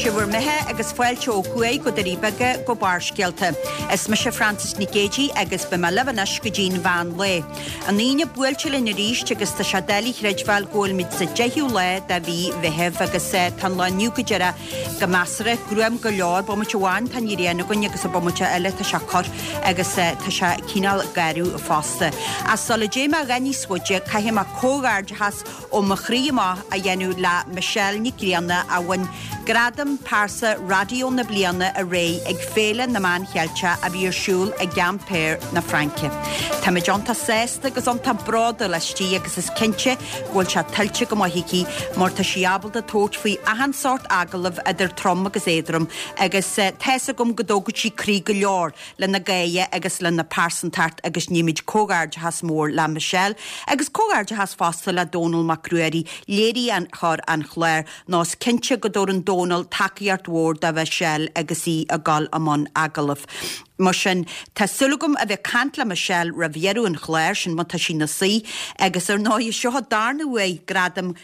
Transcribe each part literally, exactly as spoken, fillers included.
Sé bhur mbeatha agus fáilte ó thuaidh go Doirí Beaga go Barrscéalta. Is mise Frances Nic Géadaigh agus beidh mé libh anois go dtí'n mheán lae. An Aoine buailte linn arís agus tá sé doiligh a chreidbheáil go bhfuilimid sa deichiú lá de mhí Mheithimh agus tá an lá inniu go deireadh go measartha gruam go leor, bomaite amháin tá an ghrian againn agus an bomaite eile tá sé corr agus tá sé cineál garbh fosta. Ach sula dté mé a dhath níos faide caithfidh mé comhghairdeachas ó mo chroí amach a dhéanamh le Michelle Nic Grianna a bhain Gradam Pearsa Raidió na Bliana aréir ag Féile na Meán Cheilteach a bhí ar siúl i gCampéir na Fraince. Táimid iontach sásta agus iontach bródúil aisti agus is cinnte go bhfuil sé tuillte go maith aici mar tá sí ábalta tabhairt faoi achan sórt agallamh idir trom agus éadrom agus tá's agam go dtógann sí croí go leor lena gaoithe agus lena pearsantacht agus nímid comhghairdeachas mór le Michelle agus comhghairdeachas fosta le Dónal Mac Ruairí léiritheoir an chláir nó is cinnte go dtabharann Dónal tacaíocht mhór do Michelle agus í ag dul i mbun agallamh. Mar sin tá súil agam a bheith ag caint le Michelle roimh dheireadh an chláir sin má tá sí ina suí agus ar ndóigh seo an darna huair gradam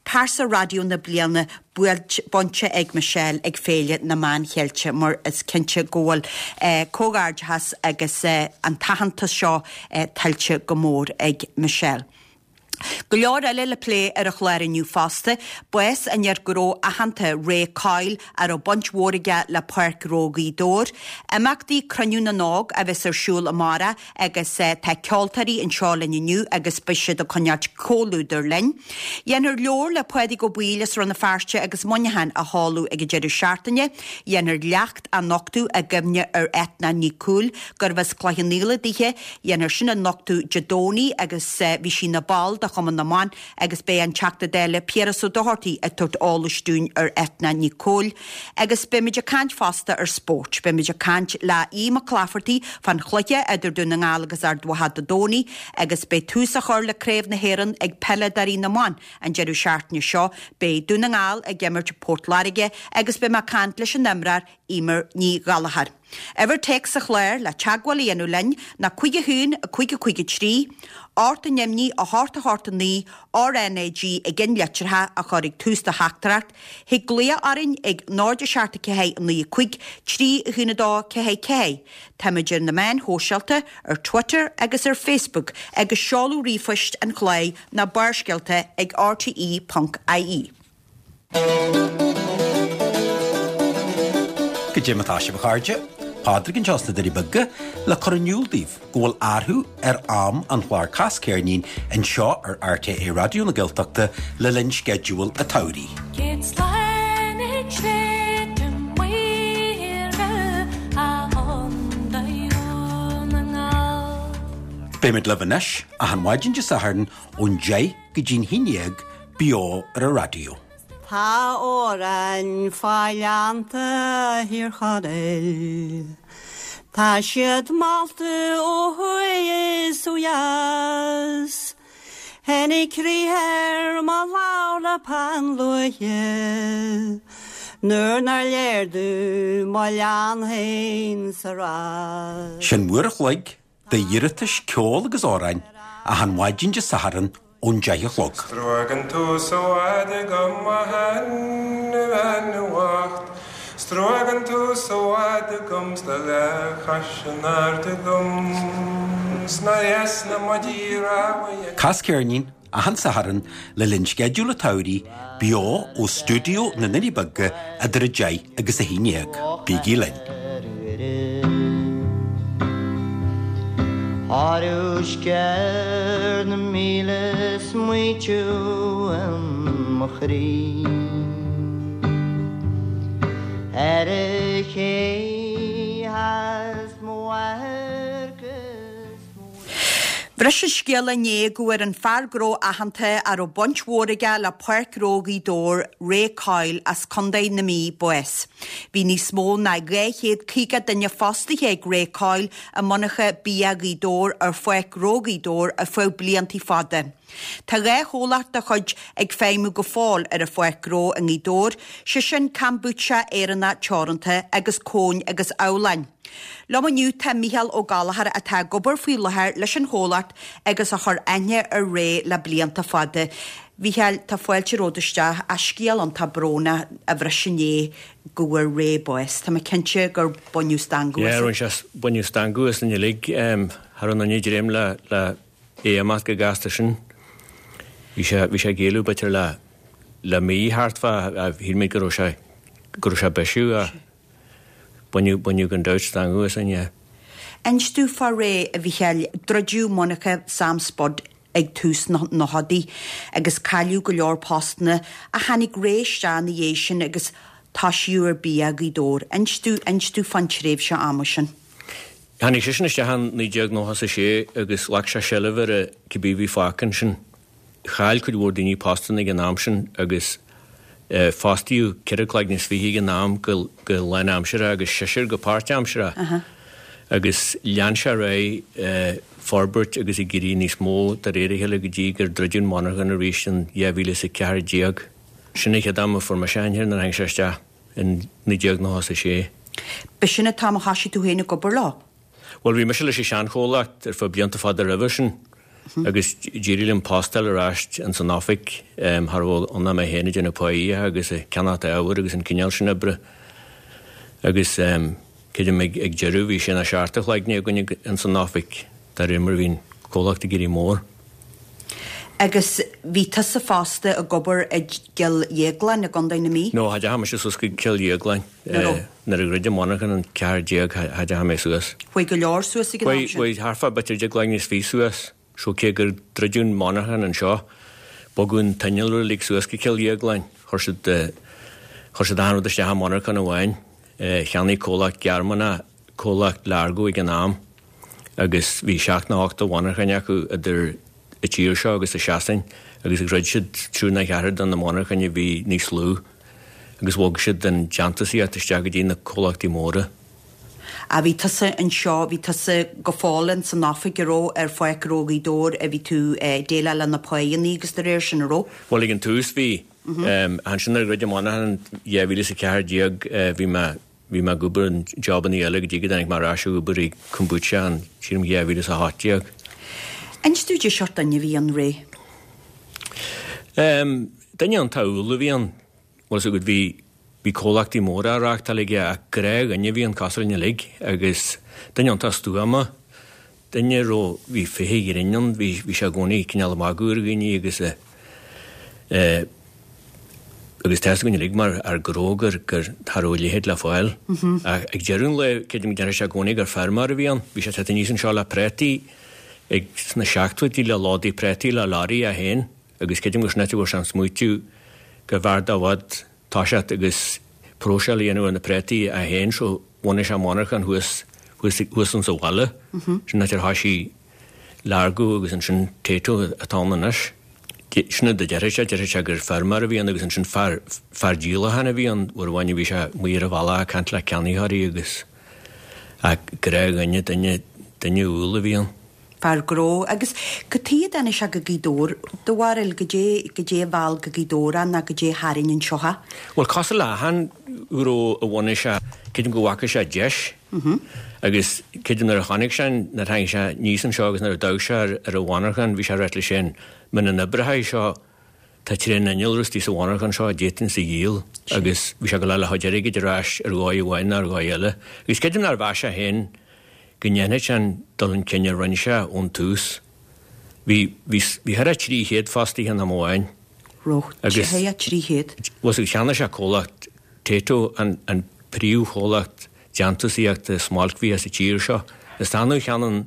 Pearsa Raidió na Bliana bainte ag Michelle ag Féile na Meán Cheilteach mar is cinnte go bhfuil eh, comhghairdeachas agus eh, an t-aitheantas seo eh, tuillte go mór ag Michelle. Go leor eile le plé ar an chlár inniu fosta, bás an fhir ghnó aitheanta Ray Coyle a raibh baint mhór aige le Páirc Ghnó Ghaoth Dobhair, imeachtaí Cruinniú na nÓg a bheas ar siúl amárach agus tá ceoltóirí anseo linn inniu agus beidh siad ag coinneáilt comhluadar linn. Dhéanfar leabhar le Pádraig Ó Baoill as Rann na Feirste agus Muineachán a sheoladh ag an deireadh seachtaine, dhéanfar leacht a nochtadh i gcuimhne ar Eithne Ní Cúil gurbh as Cloich Cheann Fhaola dithe, dhéanfar sin a nochtadh Dé Domhnaigh agus bhí sí ina ball de Chumann na mBan agus beidh an Teachta Dála Piaras Ó Dochartaigh ag tabhairt eolais dúinn ar Eithne Ní Cúil. Agus beimid ag caint fosta ar spórt. Beimid ag caint le Aodh Mac Laifeartaigh fán chluiche idir Dún na nGall agus Ard Mhacha Dé Domhnaigh agus beidh tús á chur le Craobh na hÉireann ag peileadóirí na mban an deireadh seachtaine seo, beidh Dún na nGall ag imirt Port Láirge agus beidh mé ag caint leis an imreoir Eimear Ní Ghallchóir. Uimhir téacs an chláir le teagmháil a dhéanamh linn ná cúig a haon a cúig a cúig a trí, ocht neamhní a hocht a hocht a naoi RNAG i gceannlitreacha a chur ag tús do theachtaireacht, thig glaoch orainn ag náid a seacht a ceathair naoi a cúig trí a haon a dó ceathair ceathair. Táimid ar na meáin shóisialta, ar Twitter agus ar Facebook agus seoladh ríomhphoist an chláir ná barrscéalta ag rte ponc ie. Goidé mar atá sibh a chairde, Pádraig anseo sna Doirí Beaga le cur in iúl daoibh go bhfuil athrú ar am an chláir Cas Ceirnín anseo ar RTÉ Raidió na Gaeltachta le linn sceideal an tsamhraidh. Céad slán ag Sléibhte Maoire a Chontae Dhún na nGall. Beimid libh anois achan mhaidin Dé Sathairn ón deich go dtí'n haon déag beo ar an raidió. Tá amhráin fá ghleannta Thír Chonaill, Tá siad molta ó thuaidh is ó dheas. Tháinig crith ar mo ladhar peann luaidhe, Nuair nár léir domh mo oileán féin sa rás. Sin uair a chloig d'iarratais ceoil agus amhráin achan mhaidin Dé Sathairn ón deich a chlog. 'S truagan tú sa bhfad agam a sheanbhean bhocht 'S truagan tú sa bhfad agam 's do dhá chois in airde agam 's nár dheas liom mo dhíthreabhaigh Cas Ceirnín achan Satharn le linn sceideal an tsamhraidh beo ó stiúideo na nDoirí Beaga idir a deich agus a haon déag. Bígí linn. Ar na míle smaoitiú mo chroí Ar a ché mo Bhris an scéala inné go bhfuair an fear gnó aitheanta a raibh baint mhór aige le Páirc Ghnó Ghaoth Dobhair, Ray Coyle as Contae na Mí bás. Bhí níos mó ná dhá chéad caoga duine fostaithe ag Ray Coyle i monarcha bia Ghaoth Dobhair ar Pháirc Ghnó Ghaoth Dobhair ar feadh blianta fada. Tá dhá chomhlacht dá chuid ag feidhmiú go fóill ar an Pháirc Ghnó i nGaoth Dobhair, sé sin Kombucha Éireannach Teoranta agus Cóin agus Abhláin. Liom inniu tá Mícheál Ó Gallchóir atá ag obair faoi láthair leis an chomhlacht agus a chuir aithne ar Ray le blianta fada. Mhícheáil, tá fáilte romhat isteach ach scéal iontach brónach a bhris inné go bhfuair Ray bás. Tá mé cinnte gur baineadh stangadh Yeah, rinne sé baineadh stangadh asainn uilig cha raibh aon duine ag dréim le le é imeacht chomh gasta sin. Bhí sé bhí sé ag éalú b'fhéidir le le mí thart fá shíl muid go raibh sé go raibh sé bisiú a baineadh baineadh gan dabht stangadh asainn, yeah. Inis domh fá Ray, a Mhícheáil, druideadh monarcha Sam Spud ag tús na nóchaidí agus cailleadh go leor postanna ach tháinig Ray isteach ina dhiaidh sin agus toisíodh ar bia Ghaoth Dobhair. Inis domh inis domh fán tréimhse ama sin. Tháinig seisean isteach in naoi déag nócha a sé agus ghlac sé seilbh ar cibé bhí fágtha ansin. Chaill cuid mhór daoine postanna ag an am sin agus fostaíodh ceithre cloigne is fiche ag an am go go lánaimseartha agus seisear go páirtaimseartha. Agus lean sé ar aghaidh forbairt agus ag éirí níos mó de réir a chéile go dtí gur druideadh an mhonarchan arís in dhá mhíle is a ceathair déag. Sin an chéad am a fuair mise aithne air nuair a tháinig sé isteach in naoi déag nócha a sé. B'shin an t-am a thoisigh tú féin ag obair leo? Bhuel, bhí mise leis an seanchomhlacht ar feadh blianta fada roimhe sin agus d'éirigh liom post a fháil ar ais ins an oifig cha raibh ann ach mé féin ag déanamh páí agus ag ceannacht ábhair agus an cineál sin oibre. Agus creidim ag ag deireadh bhí sé nó seacht de chloigne againn ins an oifig de réir mar a bhí an comhlacht ag éirí mór. Agus bhí tusa fosta ag obair i gCill Dhéagláin i gContae na Mí? No, cha dteachaigh mise suas go Cill Dhéagláin. Nuair a dhruid an mhonarchan in ceathair déag cha dteachaigh mé suas. Chuaigh go leor suas ag an am sin? Chuaigh thart fá b'fhéidir deich gcloigne is fiche suas. So cé gur druideadh an mhonarchan anseo, bogadh an t-innealra uilig suas go Cill Dhéagláin. Chuir siad chuir siad achan rud isteach i monarchan amháin. Cheannaigh comhlacht Gearmánach comhlacht Largo ag an am agus bhí seacht nó ocht de mhonarchain acu idir an tír seo agus i Sasain agus dhruid siad triúr nó ceathrar de na monarchain a bhí níos lú agus bhog siad an déantúsaíocht isteach go dtí na comhlachtaí móra. A bhí tusa anseo, bhí tusa go fóill ins an oifig a raibh ar Pháirc Ghnó Ghaoth Dobhair a bhí tú déileáil le na páigheanna agus de réir sin a raibh? Bhuel ag an tús bhí. Ansin nuair a dhruid an mhonarchan dhá mhíle is a ceathair déag bhí mé bhí mé ag obair in jobanna eile go dtí go dtáinig mé ar ais ag obair i Kombucha in sílim dhá mhíle is a hocht déag. Inis domh cad é seort duine a bhí ann Ray? Duine iontach umhal a bhí ann. Bhuel is agat bhí bhí comhlachtaí móra á reáchtáil aige ach gnáthdhuine a bhí ann cosúil linn uilig agus duine iontach stuama, duine a raibh bhí féith an ghrinn ann, bhí bhí sé i gcónaí cineál ag magadh ar dhaoine agus eh agus tá a fhios againn uilig mar fhear gnó gur gur cha raibh a leithéid le fáil. Ach ag deireadh an lae creidim go ndéarfadh sé i gcónaí gur feirmeoir a bhí ann. Bhí sé ag teacht aníos anseo le prátaí ag sna seachtóidí le lódaí prátaí le lorry é féin agus creidim gur sin áit a bhfuair sé an smaoitiú go bhfearr dó i bhfad toiseacht agus próiseáil a dhéanamh ar na prátaí é féin so bhunaigh sé monarchan thuas thuas thuas insa bhaile. Sin áit ar thoisigh Largo agus ansin Tayto atá ann anois. Sin rud a déarfadh sé, déarfadh sé gur feirmeoir a bhí ann agus ansin fear fear díolacháin a bhí ann uair amháin a bhí sé amuigh ar an bhealach ag caint le ceannaitheoirí agus ach gnáthdhuine, duine duine umhal a bhí ann. Fear gnó agus cad chuige a dtáinig sé go Gaoth Dobhair, do bharúil, goidé goidé a mheall go Gaoth Dobhair é ná goidé a tharraing anseo é? Bhuel cosúil le achan ghnó a bhunaigh sé, creidim go bhfaca sé deis agus creidim nuair a chonaic sé, nuair a tháinig sé aníos anseo agus nuair a d'amharc sé ar ar an mhonarchan, bhí sé ag ráit leis féin, muna n-oibreoidh seo, tá tréan innealra istigh sa mhonarchan seo a d'fhéadfainnse a dhíol agus bhí sé ag gabháil a fháil a chuid airgid ar ais ar dhóigh amháin nó ar dhóigh eile. Agus creidim nár mheas sé féin go ndéanfadh sé an dul chun cinn a rinne sé ón tús. Bhí bhí bhí thar a trí chéad fostaithe in am amháin. Raibh Agus trí chéad. Bhuel cheannaigh sé comhlacht Tayto an an príomhchomhlacht déantúsaíochta smailcbhia sa tír seo. Is annamh a cheannaíonn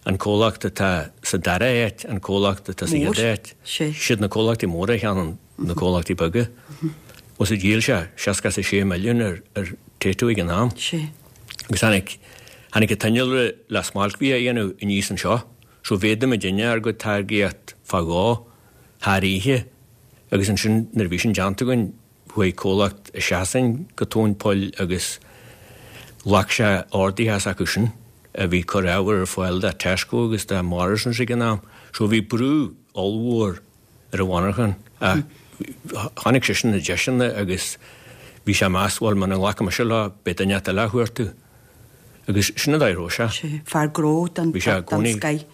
an comhlacht atá sa dara háit an comhlacht atá sa chéad áit. Siad na comhlachtaí móra a cheannaíonn na comhlachtaí beaga. Bhuel dhíol sé seasca is a sé milliún ar ar Tayto ag an am. Agus tháinig tháinig an t-innealra le smailcbhia a dhéanamh aníos anseo, so mhéadaigh muidinne ár gcuid táirgíocht fá dhó thar oíche agus ansin nuair a bhí sin déanta againn chuaigh comhlacht i Sasain go tóin poill agus ghlac sé orduithe as acu sin a bhí ag cur ábhar ar fáil do Tesco agus do Morrisons ag an am. So bhí brú ollmhór ar an mhonarchan ach chonaic seisean na deiseanna agus bhí sé ag meas, bhuel muna nglacfaidh mise leo beidh duine eile á chuartú. Agus sin an dóigh a raibh sé. Fear gnó den Bhí sé i gcónaí. scoth.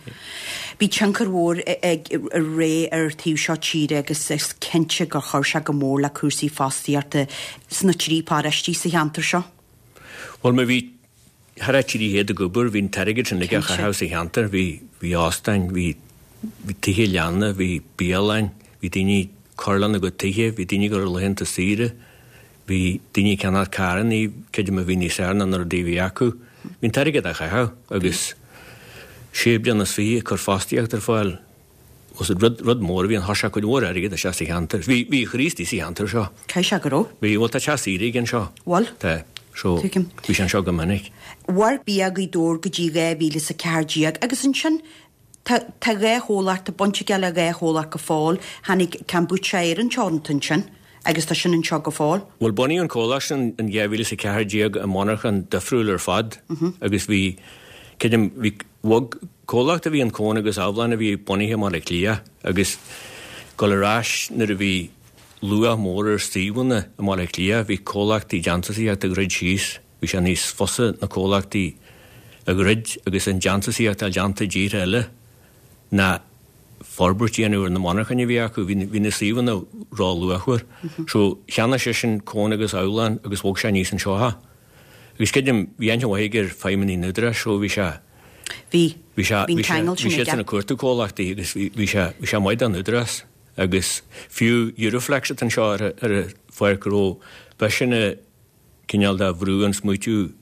Bhí tionchar mhór ag Ray ar taobh seo tíre agus is cinnte gur chuir sé go mór le cúrsaí fostaíochta sna trí paróistí sa cheantar seo. Bhuel má bhí thar a trí chéad ag obair, bhí an t-airgead sin ag caitheamh sa cheantar, bhí bhí óstáin, bhí bhí tithe leanna, bhí bialann, bhí daoine ag cur lena gcuid tithe, bhí daoine ag dul ar laethanta saoire, bhí daoine ag ceannach carranna, creidim a bhí níos fearr ná na rudaí a bhí acu. Bhí an t-airgead á chaitheamh agus sé bliana is fiche ag cur fostaíocht ar fáil. Was rud, rud mór a bhí ann, chuir sé cuid mhór airgid isteach sa cheantar. Bhí, bhí Chríostaí sa cheantar seo. Caithfidh sé go raibh? Bhí, bhuel tá teach saoire aige anseo. Bhfuil? Tá. So, Tuigim. bhí sé anseo go minic. Mhair Bia Ghaoth Dobhair go dtí dhá mhíle is a ceathair déag agus ansin tá, tá dhá chomhlacht, tá baint aige le dhá chomhlacht go fóill. Tháinig Kombucha Éireann Teoranta ansin agus tá sin anseo go fóill. Bhuel bunaíodh an comhlacht sin in dhá mhíle is a ceathair déag i monarchan difriúil ar fad agus bhí, creidim, bhí, bhog comhlacht a bhí in Cón agus Abhlann a bhí bunaithe i mBaile Átha Cliath agus dul ar ais nuair a bhí luach mór ar suíomhanna i mBaile Átha Cliath, bhí comhlachtaí déantúsaíochta ag druid síos, bhí sé níos fusa na comhlachtaí a dhruid agus an déantúsaíocht a déanta i dtíortha eile ná forbairt a dhéanamh ar na monarchain a bhí acu, bhí na suíomhanna ró-luachmhar. So cheannaigh seisean Cón agus Abhlann agus bhog sé aníos anseo é. Agus creidim, bhí aithne mhaith aige ar feidhmeannaigh an Údaráis, so bhí sé Bhí. Bhí sé, Bhí an bhí sé, ceangal bhí sin siadsan aige. ag cuartú comhlachtaí agus bhí, bhí sé, bhí sé maith don Údarás. Agus fiú Euroflex atá anseo ar a, ar a pháirc ghnó, b'eisean a cineál de bhrú an smaoitiú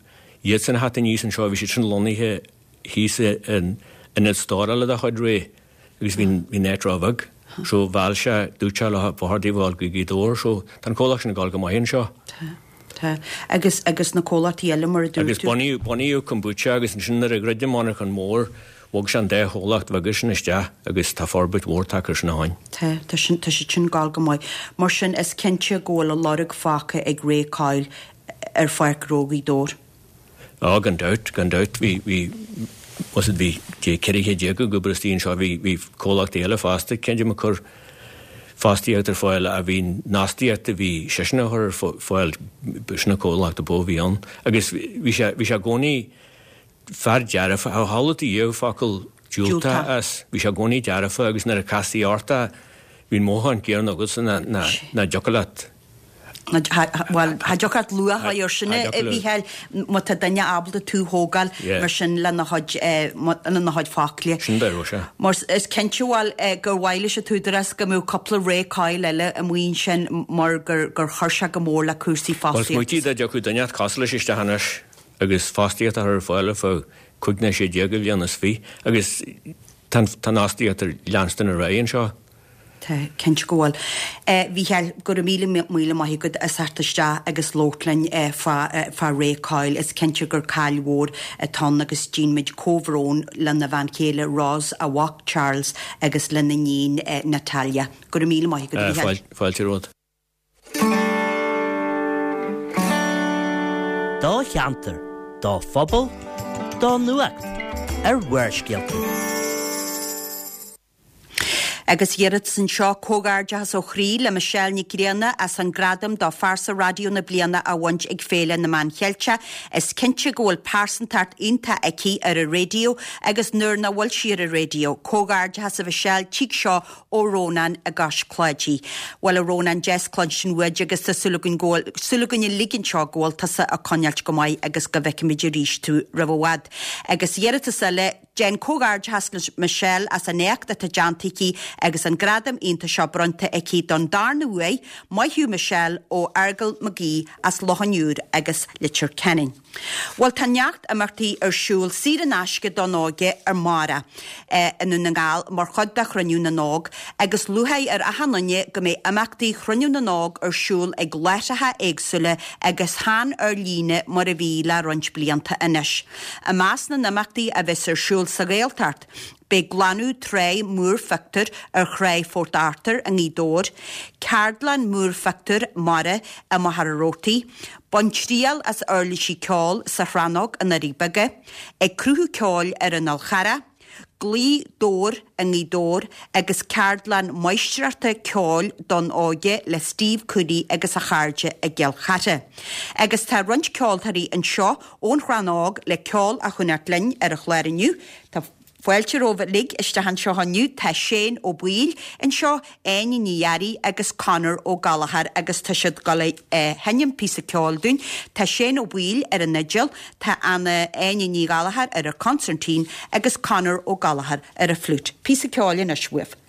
iadsan a theacht aníos anseo, bhí siad sin lonnaithe thíos in ionad stórála de chuid Ray agus bhí bhí an áit ró-bheag. So mheall sé, dúirt sé leo, ba chóir daoibh a dhul go Gaoth Dobhair, so tá an comhlacht sin ag dul go maith anseo. Tá, tá. Agus, agus na comhlachtaí eile mar a dúirt Agus tú? bunaíodh, bunaíodh kombucha agus ansin nuair a dhruid an monarchan mór, bhog sé an dá chomhlacht bheaga sin isteach agus tá forbairt mhór tagtha air sin ó shin. Tá, tá sin, tá siad sin ag dul go maith. Mar sin is cinnte go bhfuil a lorg fágtha ag Ray Coyle ar pháirc ghnó Ghaoth Dobhair. Á, gan dabht, gan dabht, bhí, bhí, was it bhí dé ceithre chéad déag ag obair istigh anseo, bhí, bhí comhlachtaí eile fosta, creidim ag cur fostaíocht ar fáil a bhí an fhostaíocht a bhí seisean a chur ar fáil, b'shin an comhlacht ab mhó a bhí ann. Agus bhí sé, bhí sé i gcónaí fear dearfa, a shamhlaigh tú riamh focal diúltach as, bhí sé i gcónaí dearfa agus nuair a castaí ort é, bhí an mothúchán céanna agatsa ná, ná, ná dtiocfadh leat. Bhuel, cha dtiocfadh leat luach a chur sin, a Mhícheáil, má tá duine ábalta tú a thógáil mar sin lena chuid, lena chuid focla. Sin dá raibh sé. Mar is cinnte, bhuel, gur mhaith leis an t-údarás go mbeadh cúpla Ray Coyle eile amuigh ansin mar gur gur chuir sé go mór le cúrsaí Bhuel, fostaíochta. smaoitigh dá dtiocfadh duine cosúil leis isteach anois agus fostaíocht a chur ar fáil ar feadh cúig nó sé déag de bhliain is fiche agus tá an fhostaíocht ar leanstan ar aghaidh anseo. Tá, cinnte go bhfuil. A Mhícheáil, go raibh míle míle maith agat as theacht isteach agus labhairt linn fá fá Ray Coyle. Is cinnte gur caill mhór atá ann agus déanaimid comhbhrón lena bhean chéile Ros, a mhac Charles agus lena iníon Natalia. Go raibh míle maith agat, a Mhícheáil. Fáilte romhat. Do cheantar, do phobal, do nuacht ar Bharrscéalta. Agus iarratas anseo comhghairdeachas ó chroí le Michelle Nic Grianna as an gradam do phearsa raidió na bliana a bhaint ag Féile na Meán Cheilteach. Is cinnte go bhfuil pearsantacht iontach aici ar an raidió agus nuair nach bhfuil sí ar an raidió. Comhghairdeachas a Mhichelle tig seo ó Rónán i gCois Cláidí. Bhuel a Rónán deas cluinstin uait agus tá súil againn go bhfuil súil againn uilig anseo go bhfuil tusa ag coinneáilt go maith agus go bhfeicfimid arís tú roimh i bhfad. Agus iarratas eile Déan comhghairdeachas le Michelle as an éacht atá déanta aici agus an gradam iontach seo bronnta aici don darna huair, maith thú Michelle ó Fheargal McGee as Loch an Iúir agus Leitir Ceanainn. Bhuel tá neart imeachtaí ar siúl saor in aisce don óige amárach i nDún na nGall mar chuid de Chruinniú na nÓg agus lúcháir ar achan duine go mbeidh imeachtaí Chruinniú na nÓg ar siúl ag láithreacha éagsúla agus chan ar líne mar a bhí le roinnt blianta anois. I measc na n-imeachtaí a bheas ar siúl sa Ghaeltacht, beidh glanadh trá múrphictiúr ar thrá Phort Arthur i nGaoth Dobhair, ceardlann múrphictiúr mara i Machaire Rabhartaigh, bain triail as uirlisí ceoil sa Chrannóg i nDoirí Beaga, ag cruthú ceoil ar an Fhál Charrach, Gaoth Dobhair i nGaoth Dobhair agus ceardlann máistreachta ceoil don óige le Steve Cooney agus a chairde i gCill Chartha. Agus tá roinnt ceoltóirí anseo ón Chrannóg le ceol a choinneáil linn ar an chlár inniu. Tá Fáilte romhaibh uilig isteach anseo inniu. Tá Shane Ó Baoill anseo, Áine Ní Fhearraigh agus Conor Ó Gallchóir agus tá siad ag dul a sheinm píosa ceoil dúinn. Tá Shane Ó Baoill ar an fhidil, tá Anna Áine Ní Ghallchóir ar an consairtín agus Conor Ó Gallchóir ar an fliúit. Píosa ceoil anois uaibh.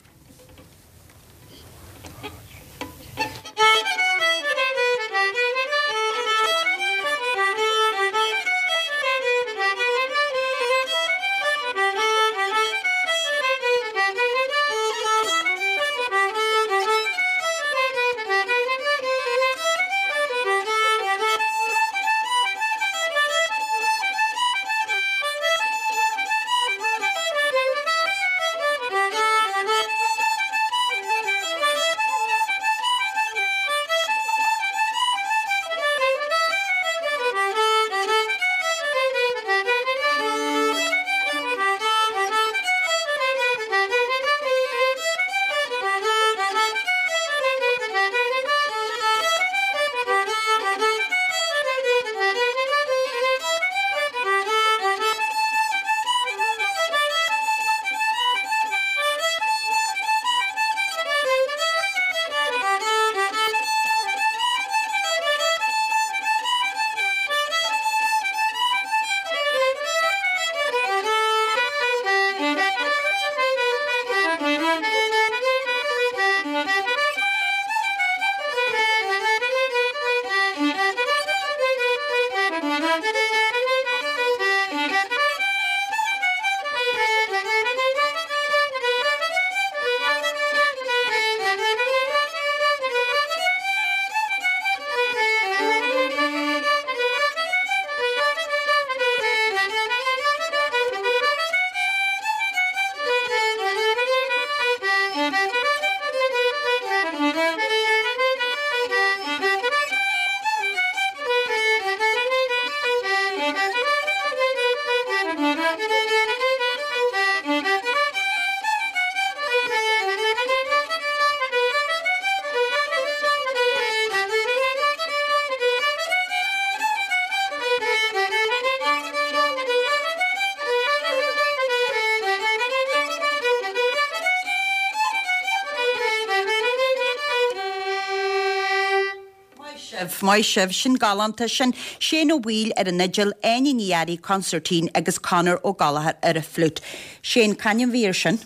Maith sibh, sin galánta, sin Shane Ó Baoill ar an fhidil, Áine Ní Fhearraigh, consairtín agus Conor Ó Gallchóir ar an fliúit. Shane, c'ainm bhí ar sin?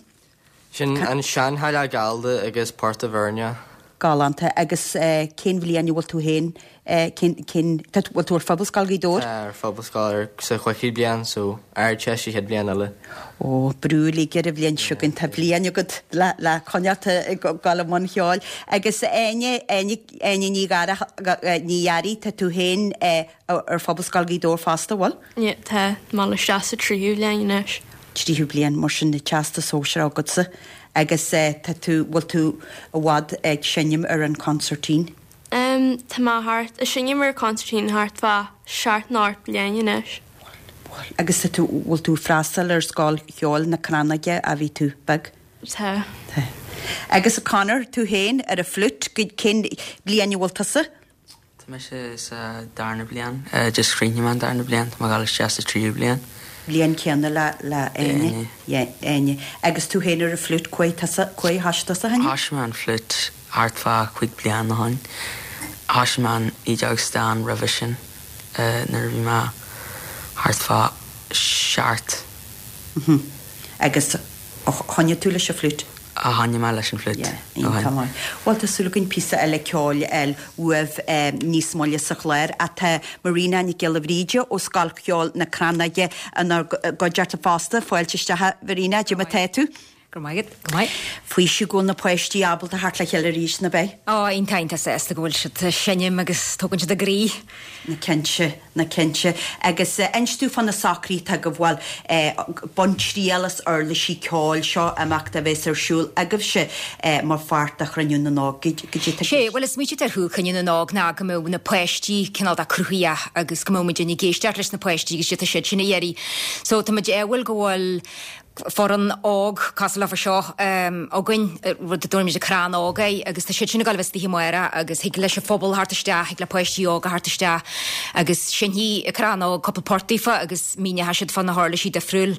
Sin an Seanchailleach Gallda agus Port a' Bhuirne. Galánta agus cén bhliain a bhfuil tú féin, cén, cén, tá, bhfuil tú ar Phobalscoil Ghaoth Dobhair? Tá, ar Phobalscoil ar, sa chúigiú bliain so Ardteist an chéad bhliain eile. Ó, brú uilig ar an bhliain seo chugainn, tá bliain agat le, le coinneáil ag dul i mbun cheoil. Agus Áine, Áine, Áine Ní Ghearra, Ní Fhearraigh, tá tú féin ar Phobalscoil Ghaoth Dobhair fosta, bhfuil? Yeah, tá, mé ag dul isteach sa tríú bliain anois. Tríú bliain, mar sin, Teastas Sóisearach agatsa. Agus tá tú, bhfuil tú i bhfad ag seinm ar an consairtín? Em, tá mé thart, ag seinm ar an consairtín thart fá seacht nó ocht bliain anois. Bhfuil, bhfuil. Agus tá tú, bhfuil tú ag freastal ar scoil cheoil na Crannóige ó bhí tú beag? Tá. Tá. Agus a Conor, tú féin ar an fliúit, cén bliain a bhfuil tusa? Tá mise sa darna bliain, just chríochnaigh mé an darna bliain, tá mé ag dul isteach sa tríú bliain. Bliain céanna le le Áine. Yeah, Áine. Agus tú féin ar an fliúit, cá huair tusa, cá huair a thoisigh tusa, Áine? Thoisigh mé an fliúit thart fá cúig bliana ó shin. Thoisigh mé an fhidil stáin roimhe sin nuair a bhí mé thart fá seacht. Mhm. Agus choinnigh tú leis an fliúit? Choinnigh mé leis an fliúit. Yeah, iontach maith. Bhuel, tá súil againn píosa eile ceoil a fháil uaibh níos moille sa chlár. Ach tá Marina Nic Giolla Bhríde ó Scoil Cheoil na Crannóige inár gcuideachta fosta. Fáilte isteach a Mharina, cad é mar tá tú? Go raibh maith agat, go maith. Faoiseamh go bhfuil na páistí ábalta theacht le chéile arís, ná beidh? Ó, iontach, iontach sásta go bhfuil siad ag seinm agus tógann siad a gcroí. Ná cinnte, ná cinnte. Agus inis dúinn fá na socruithe atá agaibh, bhuel, bain triail as uirlisí ceoil, seo imeacht a bheas ar siúl agaibhse mar pháirt de Chruinniú na nÓg. Goidé tá Sé, bhuel is smaoineamh ar Chruinniú na nÓg ná go mbeadh na páistí cineál de cruthaitheach agus go mbeadh muid ag éisteacht leis na páistí agus cad é atá siad sin a iarraidh. So tá muid ádhúil go bhfuil foireann óg cosúil leofa seo againn, rud a dtabhairimid an Crann Óg air, agus tá siad sin ag dul a bheith istigh amárach agus thig leis an phobal theacht isteach, thig le páistí óga theacht isteach agus seinnfidh an Crann Óg cúpla port daofa agus míneoidh siad fá na huirlisí difriúil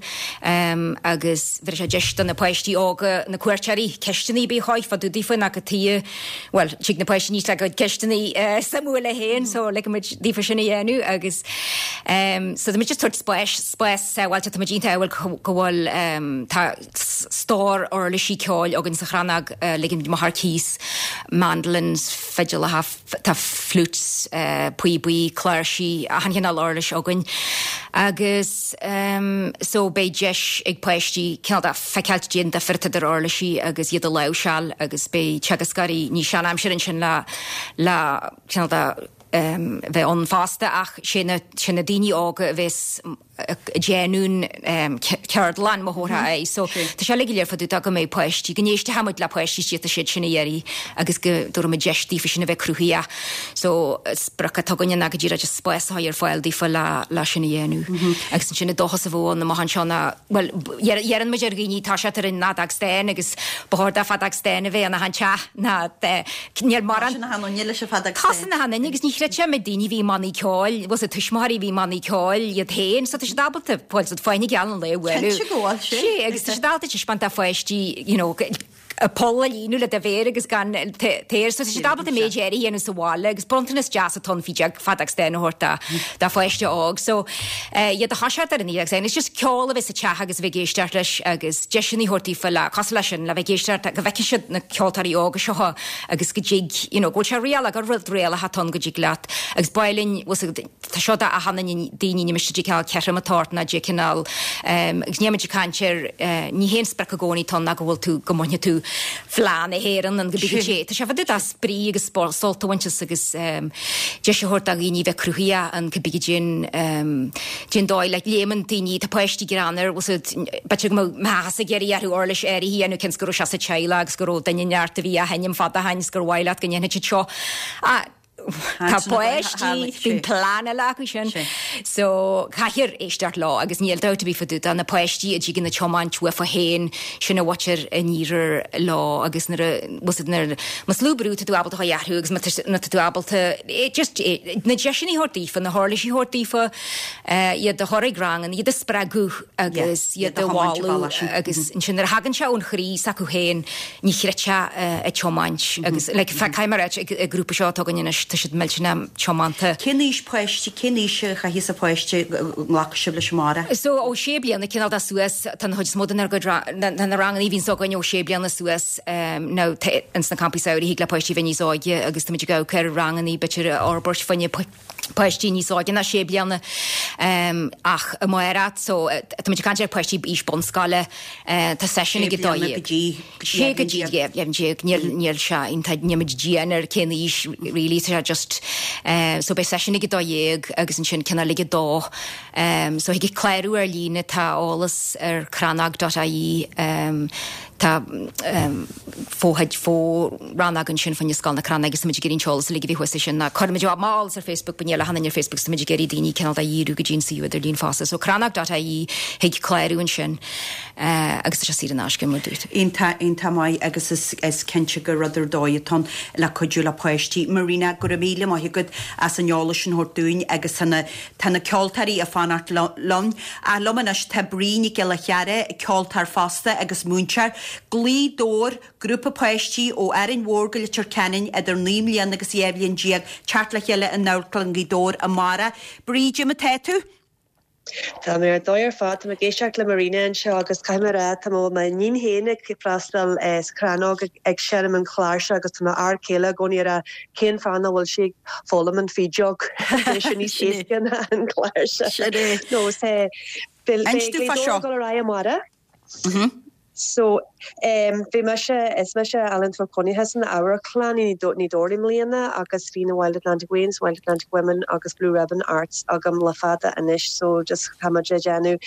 agus bhéarfaidh sé deis do na páistí óga, na cuairteoirí, ceisteanna ar bith a chur fá dtaobh daofa nó cad chuige, bhuel, tig na páistí níos le a gcuid ceisteanna suimiúla féin so ligfidh muid daofa sin a dhéanamh agus so tá muid just tabhairt spáis, spás sábháilte, tá muid iontach ádhúil go bhfuil Tá stór uirlisí ceoil againn sa Chrannóg, ligeann muid amach ar cíos, mandolins, fidileacha, tá flutes, píobaí, cláirsí, achan chineál uirlis againn. Agus so beidh deis ag páistí cineál de feiceáil caidé an difear atá idir uirlisí agus iad a láimhseáil agus beidh teagascóirí níos seanaimseartha ansin le le cineál de bheith ann fosta ach sé na sé na daoine óga a bheas ag déanamh an cheardlann mo thabharfá aghaidh. So tá sé uilig go léir fá dtaobh de go mbeidh páistí, go n-éistfidh muid le páistí is tá siad sin ag iarraidh agus go dtabharfaidh muid deis daofa sin a bheith cruthaitheach. So sprioc atá againne ná go díreach just spás a chur ar fáil daofa le le sin a dhéanamh. Agus ansin an dóchas a bheadh ann amach anseo ná, bhuel, iarrann muid ar dhaoine toiseacht ar an fheadóg stáin agus ba chóir do feadóg stáin a bheith in achan teach ná níl mórán Tosaíonn achan duine leis an feadóg stáin. Tosaíonn achan duine agus ní chreidfeá méid daoine a bhí i mbannaí ceoil, bhfuil 's a'd tuismitheoirí a bhí i mbannaí ceoil iad féin, so tá siad ábalta, bhuel, siad fáinne geal an lae bhualadh. Cinnte go bhfuil sé. Sé, agus tá siad ábalta taispeáint do pháistí, you know, poll a líonadh le do mhéar agus gan t-aer, so tá siad ábalta méid áirithe a dhéanamh sa bhaile agus bronntanas deas atá ann feadóg, feadóg stáin a thabhairt do, do pháiste óg. So, iad a thoiseacht ar an fheadóg stáin, it's just ceol a bheith sa teach agus a bheith ag éisteacht leis agus deiseanna a thabhairt daofa le, cosúil leis sin, le bheith ag éisteacht, go bhfeicfidh siad na ceoltóirí óga seo agus go dtig, you know, go bhfuil sé réalach, gur rud réalach atá ann go dtig leat agus ba mhaith linn, bhfuil 's agat, tá seo do achan duine, daoine, ní miste cineál ceithre atá ort ná de cineál, agus níl muid ag caint ar, ní haon sprioc i gcónaí atá ann ná go bhfuil tú, go mbainfidh tú Fleadh na hÉireann nó go big sé. Tá sé fá dtaobh de spraoi agus sult a bhaint as agus deis a thabhairt do dhaoine bheith cruthaitheach an go big sin den dóigh le léimeann daoine, tá páistí greannmhar, bhfuil 's agat, b'fhéidir go mbeadh meas ag iarraidh orthu uirlis áirithe a dhéanamh cionn is go raibh sé sa teaghlach agus go raibh duine neart a bhí á sheinm fada ó shin is gur mhaith leat go ndéanfaidh siad seo. Ah, tá páistí, bíonn plean eile acu sin. So caithfear éisteacht leo agus níl dabht ar bith fá dtaobh de na páistí a dtigeann an tiomáint uafa féin sin a bhaintear an iarthar leo agus nuair a bhfuil 's agat nuair más lú brú tá tú ábalta a athrú agus má tá tú ábalta just na deiseanna a thabhairt daofa, na huirlisí a thabhairt daofa, iad a chur ag ranganna, iad a spreagadh agus iad a mholadh agus ansin nuair a thagann sé ón chroí s'acu féin ní chreidfeá a tiomáint agus like caithfidh mé a ráit ag grúpa seo atá againn anois tá siad millteanach tiomanta. Cén aois páiste, cén aois a chaithfidh sa pháiste go nglacfaidh sibh leis amárach? So ó sé bliana cineál de suas tá an chuid is mó den gcuid na na ranganna a bhíonns againn ó sé bliana suas now ins na campaí samhraidh thig le páistí bheith níos óige agus táimid ag amharc ar ranganna b'fhéidir a fhorbairt fá choinne páistí níos óige ná sé bliana ach amárach so táimid ag caint ar páistí aois bunscoile tá seisiún ag a dó dhéag. Sé go dtí deich déag níl níl sé iontach níl muid dian ar cén aois really tá sé just so beidh seisiún ag a dó dhéag agus ansin cineál ag a dó so thig clárú ar líne tá eolas ar crannóg dot ie tá fo-chuid fo-rannóg ansin fá choinne Scoil na Crannóige agus táimid ag iarraidh an t-eolas uilig a bhí thuas sin ná cuirimid amach eolas ar Facebook but níl achan duine ar Facebook so táimid ag iarraidh daoine cineál de dhíriú go dtí an suíomh idirlín fosta so crannóg dot ie thig clárú ansin agus tá sé saor in aisce mar dúirt. Iontach, iontach maith agus is is cinnte gur rud ar dóigh atá ann le cuidiú le páistí. Marina, go raibh míle maith agat as an eolas sin a thabhairt dúinn agus tá na tá na ceoltóirí ag fanacht linn. Ach liom anois tá Brí Nic Giolla Chearra, ceoltóir fosta agus múinteoir. Gaoth Dobhair, grúpa páistí ó Árainn Mhór go Leitir Ceanainn idir naoi mbliana agus dhá bhliain déag, teacht le chéile in Amharclann Ghaoth Dobhair amárach. Brí, cad é mar atá tú? Tá mé ar dóigh ar fad, tá mé ag éisteacht le Marina anseo agus caithfidh mé a rá tá mo m'iníon féin ag freastal sa Chrannóg ag seinm an chláirse agus tá m'fhear céile i gcónaí ag rá cén fáth nach bhfuil sí ag foghlaim an fhídeog Tá sé níos éasca ná an cláirse. Nó is é Inis dúinn fá seo. Dul ar aghaidh amárach. So um, bhí mise is mise ealaíontóir cónaithe san amharclann i nGaoth Dobhair i mbliana agus bhí na Wild Atlantic Wains, Wild Atlantic Women agus Blue Ribbon Arts agam le fada anois so just táimid ag déanamh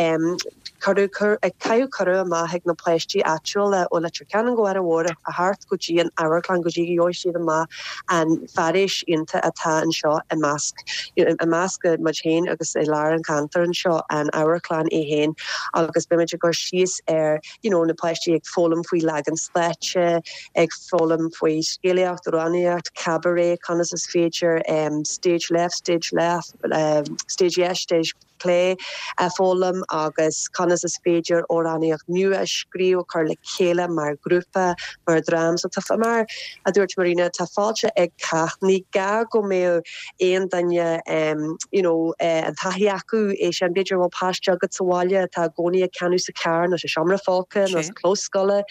um, cuireadh ag caiú cuireadh amach ag na páistí áitiúla ó Leitir Ceanainn go Aran Mhór a theacht go dtí an amharclann go dtí gheobhaidh siad amach an fairéis iontach atá anseo i measc i measc muid féin agus i lár an cheantair anseo an amharclann é féin agus beimid ag cur síos ar you know, na páistí ag foghlaim faoi leagan stáitse, ag foghlaim faoi scéalaíocht, amhránaíocht, cabaret, conas is féidir um, stage left, stage left, um, stage yes, stage clé a foghlaim agus conas is féidir amhránaíocht nua a scríobh chur le chéile mar grúpa mar dream so tá mar a dúirt Marina tá fáilte ag cách ní gá go mbeadh aon duine um, you know, uh, an taithí acu é sin b'fhéidir bhfuil páiste agat sa bhaile atá i gcónaí ag canadh sa charr nó sa seomra folctha nó sa chlós scoile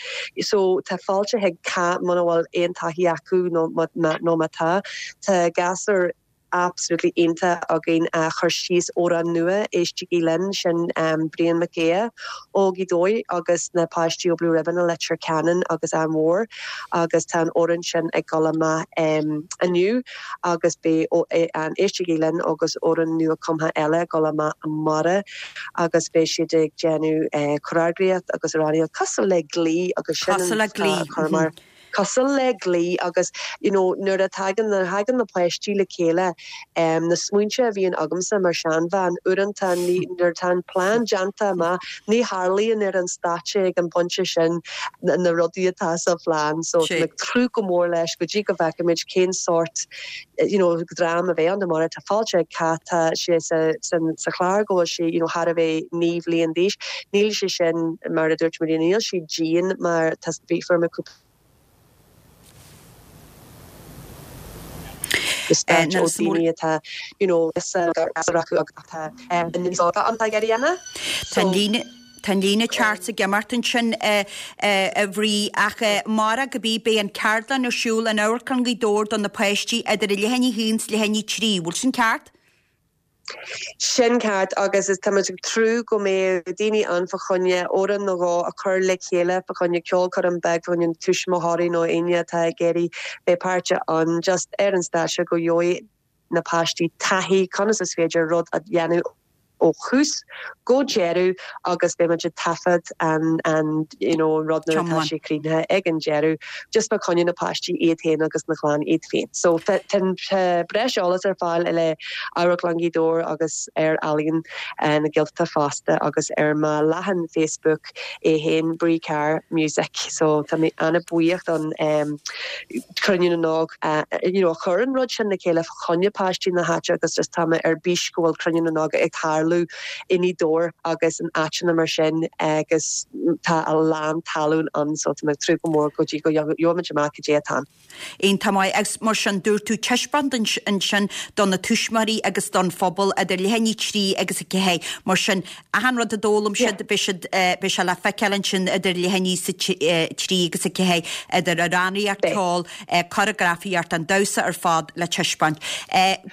so tá fáilte ag cách muna bhfuil aon taithí acu nó nó má tá tá gasúr absolutely iontach againn a chur síos amhrán nua Éistigí Linn sin um, Brian McGea ó Ghaoth Dobhair agus na páistí ó Blue Ribbon a Leitir Ceanainn agus an Mhór agus tá an amhrán sin ag dul amach um, inniu agus beidh an Éistigí Linn agus amhrán nua cumtha eile ag dul amach amárach agus beidh siad ag déanamh uh, choreograíocht agus amhránaíocht cosúil le Glee agus sin Cosúil le Glee. chur mar. Mm -hmm. Cosúil le Glee agus you know, nuair a thagann na thagann na páistí le chéile um, na smaointe a bhíonn agamsa mar seanbhean uaireanta nuair atá an plean déanta amach ní tharlaíonn ar an stáitse ag an bpointe sin na, na rudaí atá sa phlean so le tnúth go mór leis go dtí go bhfeicfimid cén sórt you know, dream a bheidh ann mar tá fáilte tá sé sa, sa, sa chlár go bhfuil sé you know, thar a bheith naoi bliain d'aois. Níl sé sin mar a dúirt Maria níl sé dian mar tá bhí me cúpla ó daoine atá you know atá Tá líne Tá líne ceart ag imeacht ansin a Bhrí ach mar go bí beidh an ceardlann ar siúl in Amharclann Ghaoth Dobhair do na páistí idir a leath i ndiaidh a haon is leath i ndiaidh a trí, bhfuil sin ceart? Sin ceart agus is táimid ag tnúth go mbeidh daoine ann fá choinne amhrán nó dhó a chur le chéile fá choinne ceolchoirm beag fá choinne tuismitheoirí nó éinne atá ag iarraidh bheith páirteach ann just ar an stáitse go gheobhaidh na páistí taithí conas is féidir rud a dhéanamh ó thús go deireadh agus beimid ag taifead an an you know rud nuair atá sé críochnaithe ag an deireadh just fá choinne na páistí iad féin agus na clann iad féin. So tá breis eolas ar fáil le Amharclann Ghaoth Dobhair agus ar Ealaín eh, na Gaeltachta fosta agus ar mo leathanach Facebook é féin Brí Carr Music. So tá mé an-bhuíoch don um, Cruinniú na nÓg uh, you know, chur an rud sin le chéile fá choinne páistí na háite agus just tá mé ar bís go bhfuil Cruinniú na nÓg ag tarlú i nGaoth Dobhair agus in áiteanna mar sin agus tá a lán tallann ann so tá mé ag tnúth go mór go dtí go gheobhaimid amach cad é atá. Iontach maith agus mar sin dúirt tú taispeántas ansin do na tuismitheoirí agus don phobal idir leath i ndiaidh a trí agus a ceathair mar sin achan rud a d'fhoghlaim siad beidh siad beidh sé le feiceáil ansin idir leath i ndiaidh a trí agus a ceathair idir amhránaíocht ceol coreografaíocht an damhsa ar fad le taispeáint.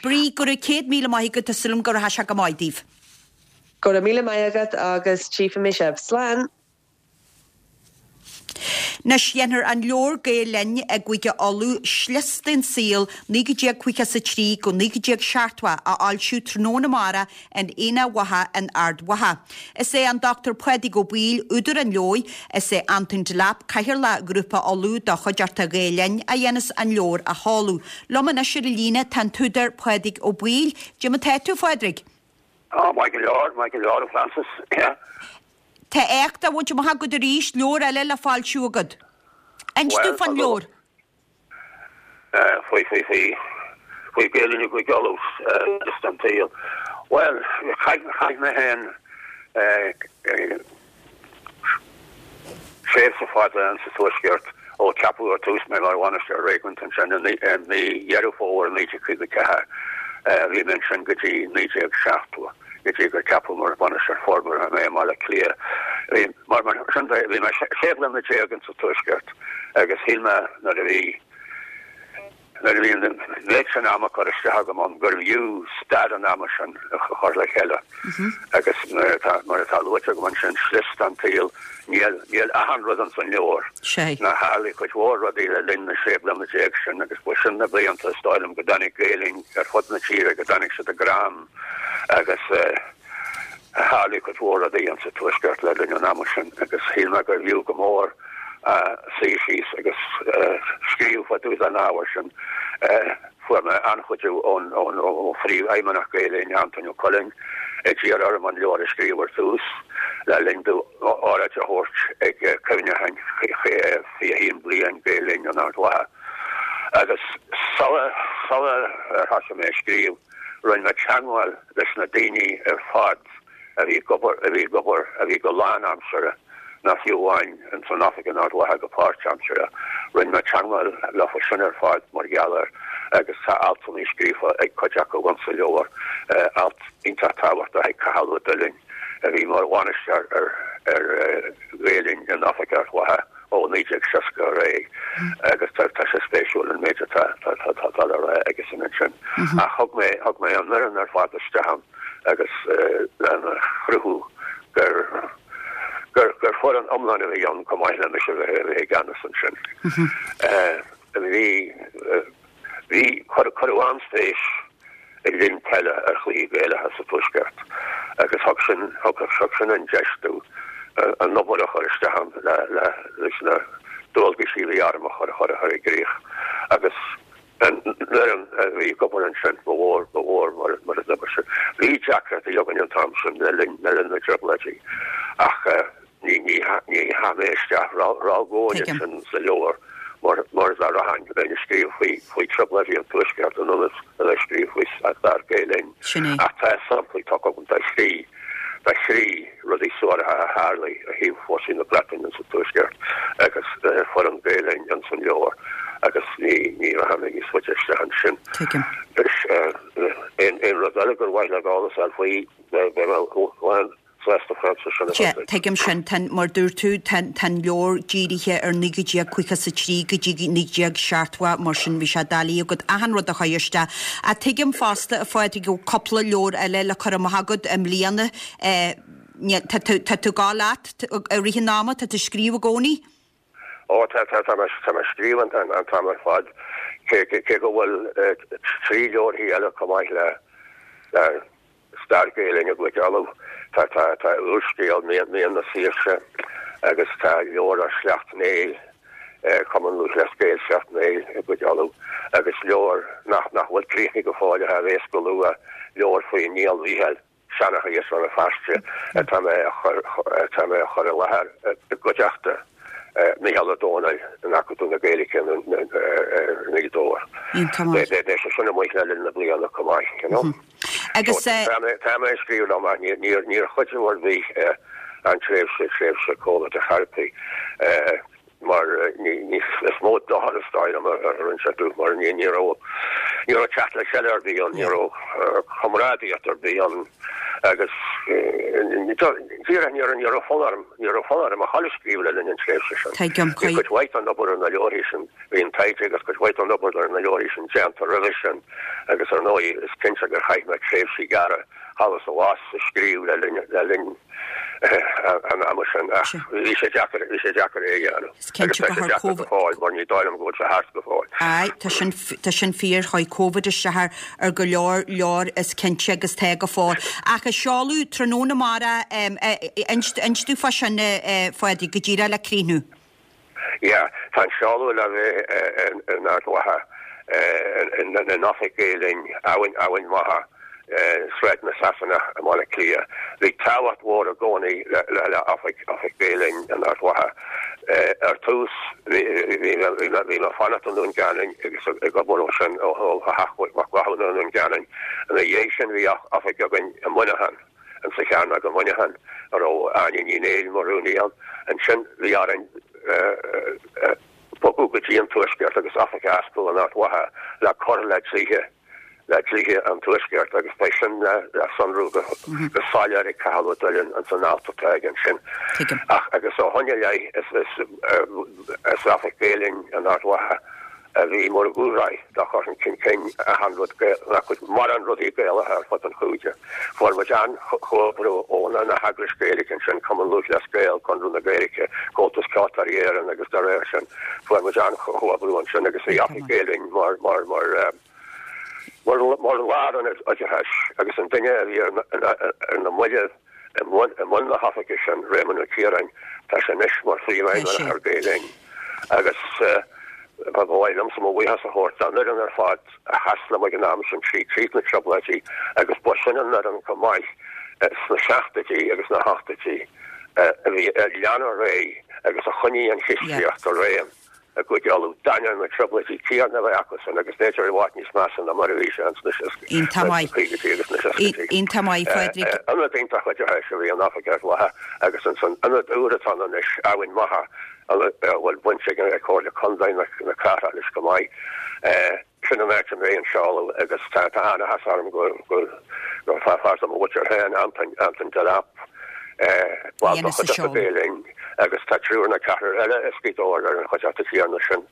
Brí go raibh céad míle maith agat tá súil agam go rachaidh sé go maith daoibh. Go raibh míle maith agat agus tchífidh mé sibh. Slán! Anois déanfar an leabhar Gael Linn i gCúige Uladh Slios den Saol naoi déag caoga is a trí go naoi déag seachtó a fhoilsiú tráthnóna amárach in Aonach Mhacha in Ard Mhacha. Is é an Dr Pádraig Ó Baoill údar an leabhair, is é Antoin Delap cathaoirleach Ghrúpa Uladh do Chuideachta Ghael Linn a dhéanas an leabhar a sheoladh. Liom anois ar an líne tá an t-údar Pádraig Ó Baoill. Cad é mar atá tú, a Phádraig? Á, maith go leor, maith go leor, a Frances. Tá éacht á bhaint amach agat arís, leabhar eile le foilsiú agat. Inis Bhuel, dúinn fán leabhar. Faoi, faoi, faoi, faoi Gael Linn i gCúige Uladh, slios den tsaol. Bhuel, chaith, chaith mé féin tréimhse fada insa Tuaisceart ó ceapadh ar tús mé mar bhainisteoir réigiúnach ansin i mí Dheireadh Fómhair naoi déag caoga ceathair. Bhí mé ansin go dtí naoi déag seachtó, go dtí gur ceapadh mar bhainisteoir forbartha mé i mBaile Átha Cliath. Bhí, mar, mar sin de, bhí mé sé bliana déag insa Tuaisceart agus shíl mé nuair a bhí, nuair a bhí an méid sin ama curtha isteach agam ann gurbh fhiú stair an ama sin a chur le chéile. Agus mar atá mar atá luaite agam ansin, slis an tsaoil, níl níl achan rud ins an leabhar. Sé. Ná tharlaigh cuid mhór rudaí le linn na sé bliana déag sin agus ba sin na blianta is dóigh liom go dtáinig Gael Linn ar fud na tíre, go dtáinig siad i gcrann agus eh, tharlaigh cuid mhór rudaí insa Tuaisceart le linn an ama sin agus shíl mé gurbh fhiú go mór suí síos agus scríobh fá dtaobh den ábhar sin. Fuair mé an-chuidiú ón ó phríomhfheidhmeannach Gael Linn, Antóin Ó Cuilinn, a d'iarr orm an leabhar a scríobh ar tús le linn dó óráid a thabhairt ag cuimhneachán fiche a haon bliain Gael Linn in Ard Mhacha. Agus sula sula ar thosaigh mé ag scríobh, rinne mé teagmháil leis na daoine ar fad a bhí ag obair, a bhí ag obair, a bhí go lánaimseartha, ná fiú amháin ins an oifig in Ard Mhacha go páirtaimseartha. Rinne mé teagmháil leofa sin ar fad mar gheall air agus tá altanna scríofa ag cuid acu insa leabhar, alt iontach tábhachtach ag Cathal Ó Duillinn a bhí mar bhainisteoir ar ar Ghael Linn in oifig Ard Mhacha ó naoi déag seasca ar aghaidh agus tá tá sé spéisiúil an méid atá tá tá tá tá le rá aigesan ansin. Ach thug mé thug mé an fhoireann ar fad isteach ann agus lena chruthú gur gur gur foireann iomlán a bhí ann chomh maith le mise a bheith a bheith i gceannas ansin. Bhí bhí cuireadh an-spéis i linn peile ar chluichí Gaelacha sa Tuaisceart agus thug sin thug thug sin an deis domh an obair a chur isteach ann le le leis na dualgaisí a bhí orm a chur a chur a chur i gcrích agus an fhoireann a bhí ag obair ansin ba mhór ba mhór mar mar a d'obair sin. Bhí deacrachtaí againn an t-am sin le linn le linn na dTrioblóidí ach ní ní ní chaith mé isteach ró-dhomhain ansin sa leabhar mar mar dá rachainn bheinn ag scríobh faoi faoi Trioblóidí an Tuaiscirt in ionad a bheith ag scríobh faoi stair Gael Linn. Sin é. Ach tá samplaí tugtha agam de thrí de thrí rudaí suaracha a tharlaigh ó thaobh fórsaí na Breataine sa Tuaisceart agus foireann Gael Linn ins an leabhar agus ní ní rachaidh mé níos faide isteach ansin. Tuigim. Is aon aon rud eile gur mhaith leat eolas a fháil faoi beidh mé lán sásta Frances sin a Sea, thabhairt duit. tuigim sin. Tá, mar dúirt tú, tá, tá an leabhar dírithe ar naoi déag caoga is a trí go dtí naoi déag seachtó, mar sin bhí sé doiligh agat achan rud a chur isteach. Ach tuigim fosta, a Phádraig, go bhfuil cúpla leabhar eile le cur amach agat i mbliana. Eh, ní- tá tú tá tú ag gabháil leat i rith an ama, tá tú ag scríobh i gcónaí? Ó, tá tá tá mé tá mé ag scríobh an an an t-am ar fad, cé cé cé go bhfuil eh, trí leabharthaí eile chomh maith le le stair Gael Linn i gcuid eile. Tá tá tá úrscéal Mian Mian na Saoirse agus tá leabhar ar Shleacht Néill, eh, Cumann Lúthchleas Gael Shleacht Néill i gcuid eile agus leabhar nach nach bhfuil críochnaithe go fóill a bheas go luath, leabhar faoi Niall Mhíchíl, seanchaí as Rann na Feirste atá mé a chur atá mé a chur i láthair i gcuideachta Mícheál Ó Domhnaill in Acadamh na Gaeilge i nGaoth Dobhair. Iontach maith. Beidh sé sin amuigh le linn na bliana chomh maith, you know. Agus So, tá mé tá mé ag scríobh liom ach níor níor níor chuidiú ar bith an tréimhse tréimhse Covid a chor ar bith mar ní ní is mó dochar is dóigh liom a rinne sé domh mar ní ní raibh ní raibh teacht le chéile ar bith ann, ní raibh comrádaíocht ar bith ann agus díreach ní raibh ní raibh fonn orm ní raibh fonn orm a dhul ag scríobh le linn an tréimhse sin. Tuigim, Bhí cuid mhaith den obair ar na leabharthaí sin, bhí an taighde agus cuid mhaith den obair ar na leabharthaí sin déanta roimhe sin agus ar ndóigh is cinnte gur chaith mé tréimhsí gearra thall is abhus ag scríobh le linn le linn an ama sin ach bhí sé deacair bhí sé deacair é a dhéanamh. Is cinnte Agus tá go sé thar deacair go Covid fóill mar ní dóigh liom go bhfuil sé thart go fóill. Aye, tá sin tá sin fíor chuaigh Covid isteach ar ar go leor leor is cinnte agus tá go fóill. Ach a seoladh tráthnóna amárach inis domh fá sin a Phádraig go díreach le críochnú. Yeah, tá an seoladh le bheith in Ard Mhacha in oifig Gael Linn Eamhain Eamhain Mhacha Sráid na Sasanach i mBaile Átha Cliath. Bhí tábhacht mhór i gcónaí le le le oifig oifig Gael Linn in Ard Mhacha. Ar tús bhí bhí bhí mé fanacht i nDún Geanainn agus ag obair ó sin ó ó theach Mhac Mhathúna i nDún Geanainn. Ina dhiaidh sin bhí oifig againn i Muineachán in sa Chearnóg i Muineachán a raibh Áine Ní Néill mar rúnaí ann. Ansin bhí orainn bogadh go dtí an Tuaisceart agus oifig a oscailt in Ard Mhacha le cur le dlíthe le dlíthe an Tuaisceart agus beidh sin le le sonrú go go soiléir ag Cathal Ó Duillinn an san alt atá aige ansin. Tuigim. Ach agus ó shin i leith is is is oifig Gael Linn in Ard Mhacha a bhí mar dhúshraith do chur chun cinn achan rud mórán rudaí Gaelacha ar fud an chúige. Fuair muid an-chomhoibriú ó na heagrais Gaeilge ansin, Cumann Lúthchleas Gael, Conradh na Gaeilge, Comhaltas Ceoltóirí Éireann agus dá réir sin. Fuair muid an-chomhoibriú ansin agus bhí Oifig Gael Linn mar mar mar mar mar lárionad oideachais agus an duine a bhí ar ar na mallaibh i mbun na hoifige sin, Réamonn Ó Ciaráin, tá sé anois mar phríomhfheidhmeannach ar Gael Linn agus ba mhaith liomsa mo bhuíochas a thabhairt don fhoireann ar fad a sheas liom ag an am sin trí tríd na trioblóidí agus ba sin an fhoireann chomh maith sna seachtóidí agus na hochtóidí a bhí a lean ar aghaidh agus a choinnigh an chistíocht i réim i gCúige Uladh d'ainneoin na trioblóidí céanna a bheith acusan agus b'fhéidir i bhfad níos measa ná mar a bhí sé ins na Iontach maith. caogaidí agus na seascaidí. Iontach maith, Phádraig. Ionad iontach oideachais a bhí in oifig ar mhaithe agus ansan ionad úr atá ann anois, Eamhain Mhacha, a bhfuil baint ag Comhairle Contae na cathrach leis go maith. Sin an áit a mbeidh an seoladh agus tá an-áthas orm go gur fear de mo mhuintir féin, Antain, Antain Delap, ball de chuideachta Gael Linn agus tá triúr nó ceathrar eile as Gaoth Dobhair ar an chuideachta chéanna sin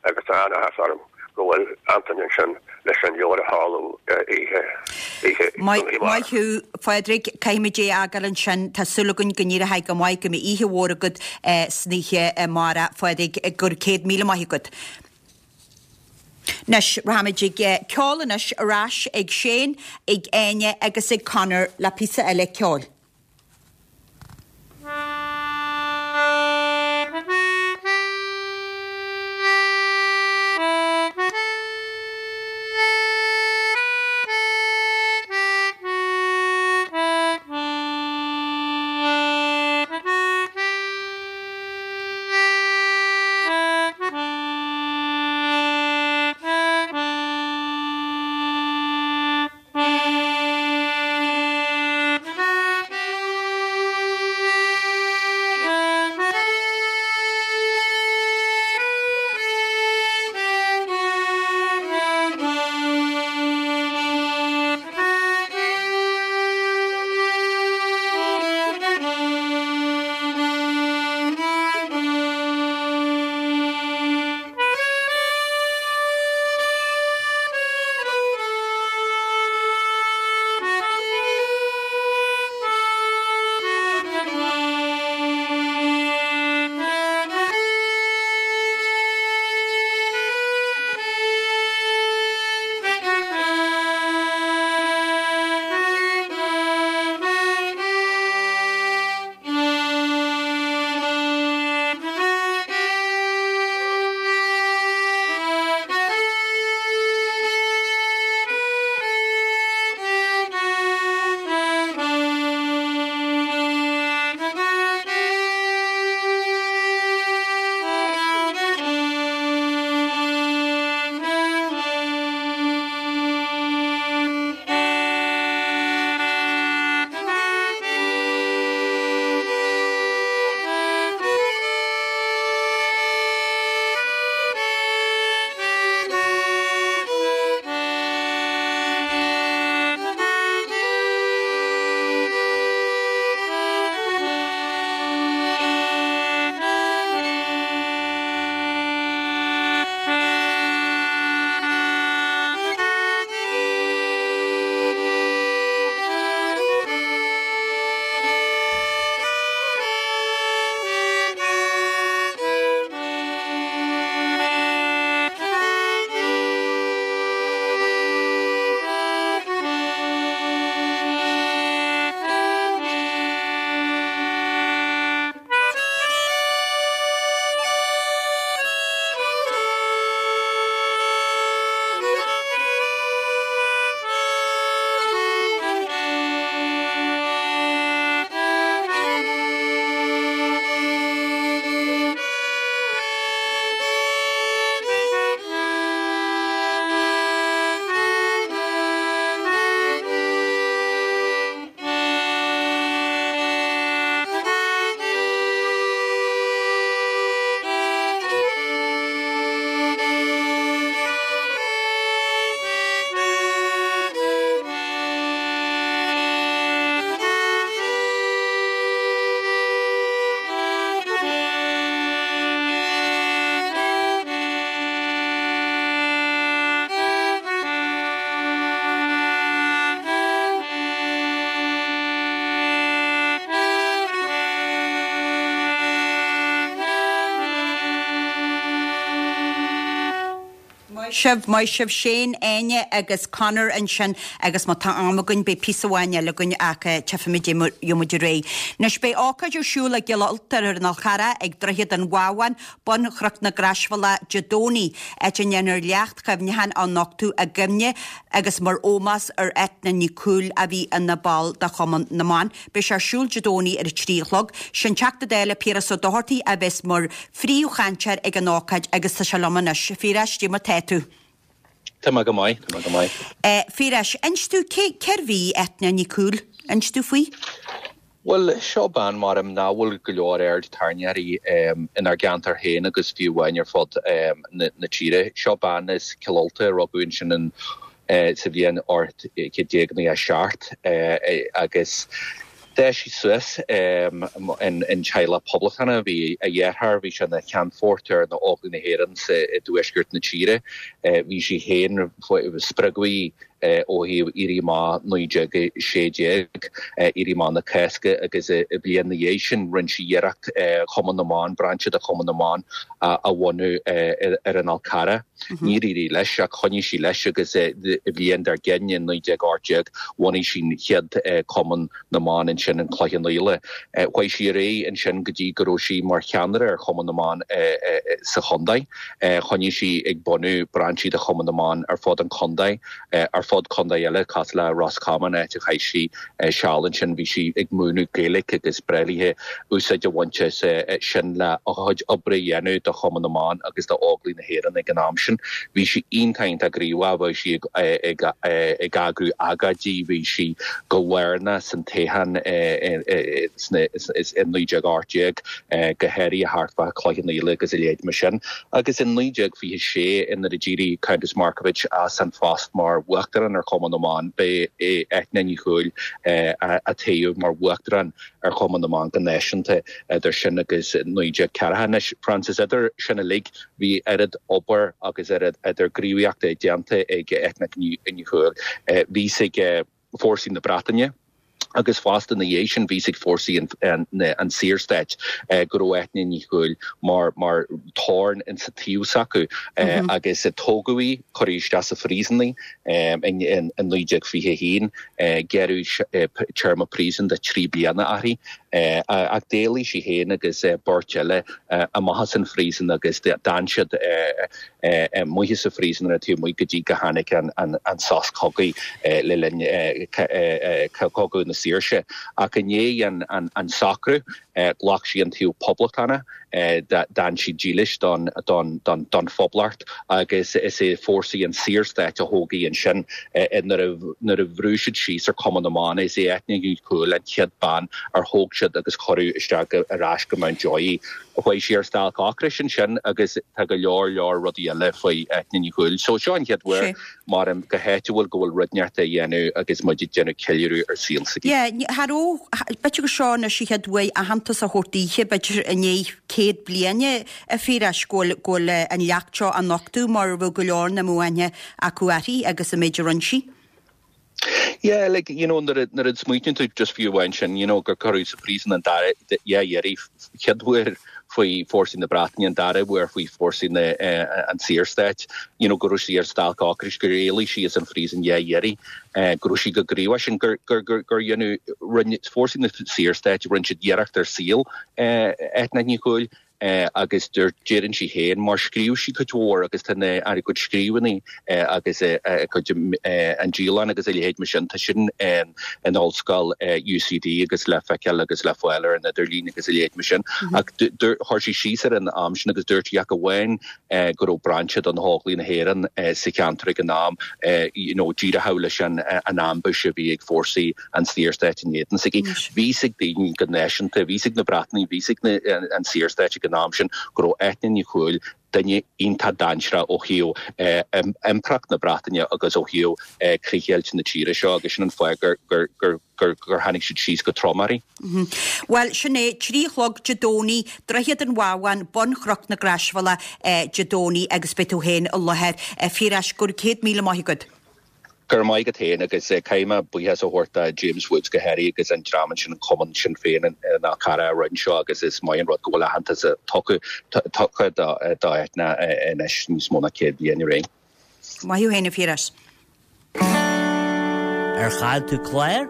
agus tá an-áthas orm go bhfuil Antain ansin leis an leabhar a sheoladh oíche oíche Maith maith thú, Phádraig. Caithfimid é a fhágáil ansin. Tá súil againn go n-éireoidh go maith, go mbeidh oíche mhór agat san oíche amárach, Phádraig. Go raibh céad míle maith agat. Anois, rachaimid ag ceol anois, ar ais ag Shane, ag Áine agus ag Conor le píosa eile ceoil. Sibh, maith sibh Shane, Áine agus Conor ansin agus má tá am againn beidh píosa amháin eile againn ach tchífimid gheobhaidh muid ar aghaidh. Anois beidh ócáid ar siúl i gCill Ulta ar an Fhál Charrach ag Droichead an Bhábháin, bun Chnoc na Croisbhealach Dé Domhnaigh, áit a ndéanfar leacht chuimhneacháin á nochtadh i gcuimhne agus mar ómós ar Eithne Ní Chúil a bhí ina ball de Chumann na mBan. Beidh sé ar siúl Dé Domhnaigh ar a trí a chlog. Sé'n Teachta Dála Piaras Ó Dochartaigh a bheas mar phríomhchainteoir ag an ócáid agus tá sé liom anois. A Phiarais, cad é mar tá tú? Tá mé go maith, tá mé go maith. A Phiarais, inis dúinn cé, cérbh í Eithne Ní Chúil? Inis dúinn faoi. Bhuel, seo bean maram nach bhfuil go leor aird tarraingthe uirthi inár gceantar féin agus fiú amháin ar fud na tíre. Seo bean as Cill Ulta a rugadh ansin sa bhliain ocht chéad déag nócha a seacht agus d'fhás sí suas in teaghlach poblachtánach. Bhí a dheartháir, bhí sé ina cheannfort ar na Óglaigh na hÉireann sa i dtuaisceart na tíre. Bhí sí féin, spreagadh í ó thaobh Éirí Amach naoi déag a sé déag, Éirí Amach na Cásca agus i bliain na dhiaidh sin rinne sí iarracht Cumann na mBan, brainse de Chumann na mBan a bhunú ar an Fhál Carrach. Níor éirigh leis ach choinnigh sí leis agus i bhliain dár gcionn i naoi déag ocht déag bhunaigh sí an chéad Cumann na mBan ansin in Cloich Cheann Fhaola. Chuaigh sí ar aghaidh ansin go dtí go raibh sí mar cheannaire ar Chumann na mBan sa chontae. Choinnigh sí ag bunú brainsí de Chumann na mBan ar fud an chontae. Ar fud contae eile, cosúil le Ros Comáin, áit a chaith sí seal ansin, bhí sí ag múineadh Gaeilge agus ba bhreá léi úsáid a bhaint as sin le a cuid oibre a dhéanamh do Chumann na mBan agus d'Óglaigh na hÉireann ag an am sin. Bhí sí iontach iontach gníomhach, bheadh sí ag eagrú agóidí, bhí sí go lárnach san toghchán i naoi déag ocht déag, go háirithe thart fá Chloich Cheann Fhaola agus a leithéid mar sin. Agus i naoi déag fiche sé, nuair a d'éirigh Countess Markievicz as an phost mar Uachtarán ar Chumann na mBan, b'é Eithne Ní Chúil a toghadh mar Uachtarán ar Chumann na mBan go náisiúnta idir sin agus naoi déag ceathracha. Anois, Frances, idir sin uilig, bhí oiread obair agus oiread idir gníomhaíochta déanta ag Eithne Ní Chúil. Bhí sí ag fórsaí na Breataine agus fosta ina dhiaidh sin bhí sí ag fórsaí an Saorstáit go raibh Eithne Ní Chúil mar mar thorn insa taobh s'acu agus tógadh í, cuireadh isteach sa phríosún í in naoi déag fiche a haon, gearradh téarma príosúin de trí bliana uirthi ach d'éalaigh sí féin agus beirt eile amach as an phríosún agus d'fhan siad amuigh sa phríosún ar an taobh amuigh go dtí go tháinig an sos cogaidh le linn Cogadh na Saoirse. Ach i ndiaidh an socrú, ghlac sí an taobh poblachtánach, d'fhan sí dílis don Phoblacht agus is é fórsaí an Saorstáit a thóg í ansin nuair a bhrú siad síos ar Chumann na mBan. Is é Eithne Ní Chúil an chéad bean ar thóg siad agus cuireadh isteach ar ais go Mountjoy í. Chuaigh sí ar stailc ocrais ansin agus tá go leor leor rudaí eile faoi Eithne Ní Chúil. So seo an chéad uair mar go háitiúil go bhfuil rud inteacht á dhéanamh agus muid ag déanamh ceiliúradh ar saol s'aici. Yeah, cha raibh, b'fhéidir gur seo anois an chéad uair aitheantas a thabhairt daoithe, b'fhéidir i ndiaidh céad bliain a Phiarais go bhfuil, go bhfuil an leacht seo á nochtadh mar bheadh go leor nach mbeadh aithne acu uirthi agus an méid a rinne sí. Yeah, like, you know, nuair a, nuair a smaoiníonn tú just fiú amháin sin, you know, gur cuireadh sa phríosún an dara, dhá iarraidh, chéad uair faoi fórsaí na Breataine, an dara huair faoi fórsaí na, an Saorstáit, you know, go raibh sí ar stailc ocrais, gur éalaigh sí as an phríosún dhá iarraidh, go raibh sí chomh gníomhach sin, gur, gur, gur, gur dhéanadh, rinne fórsaí na Saorstáit, rinne siad iarracht ar saol Eithne Ní Chúil, agus deireann sí féin, mar scríobh sí cuid mhór agus tá na a cuid scríbhinní agus a cuid an dialann agus a leithéid mar sin, tá sin in ollscoil UCD agus le feiceáil agus le fáil ar an idirlíon agus a leithéid mar sin. Ach chuir sí síos ar an am sin agus dúirt sí ach amháin go raibh brainse de na hÓglaigh na hÉireann sa cheantar ag an am, you know, díreach leis an ambush a bhí ag fórsaí an Saorstáit in éadan s'aici. Bhí 'fhios ag daoine go náisiúnta, bhí 'fhios ag na Breatnaigh, bhí 'fhios ag an Saorstáit ag an am sin go raibh Eithne Ní Chúil duine iontach dainséarach ó thaobh Impireacht na Breataine agus ó thaobh críochdheighilt na tíre seo agus sin an fáth gur gur gur gur gur tháinig siad síos go trom uirthi. Bhuel, sin é, trí a chlog Dé Domhnaigh, Droichead an Bhábháin, bun Chnoc na Croisbhealach Dé Domhnaigh agus beidh tú féin i láthair. A Phiarais, go raibh céad míle maith agat. Go raibh maith agat féin agus caithfidh mé buíochas a thabhairt do James Woods go háirithe agus an dream ansin, an cumann Sinn Féin in Fhál Carrach a rinne seo agus is maith an rud go bhfuil aitheantas tugtha do Eithne anois níos mó ná céad bliain ó shin. Maith thú féin a Phiarais. Ar chaill tú clár?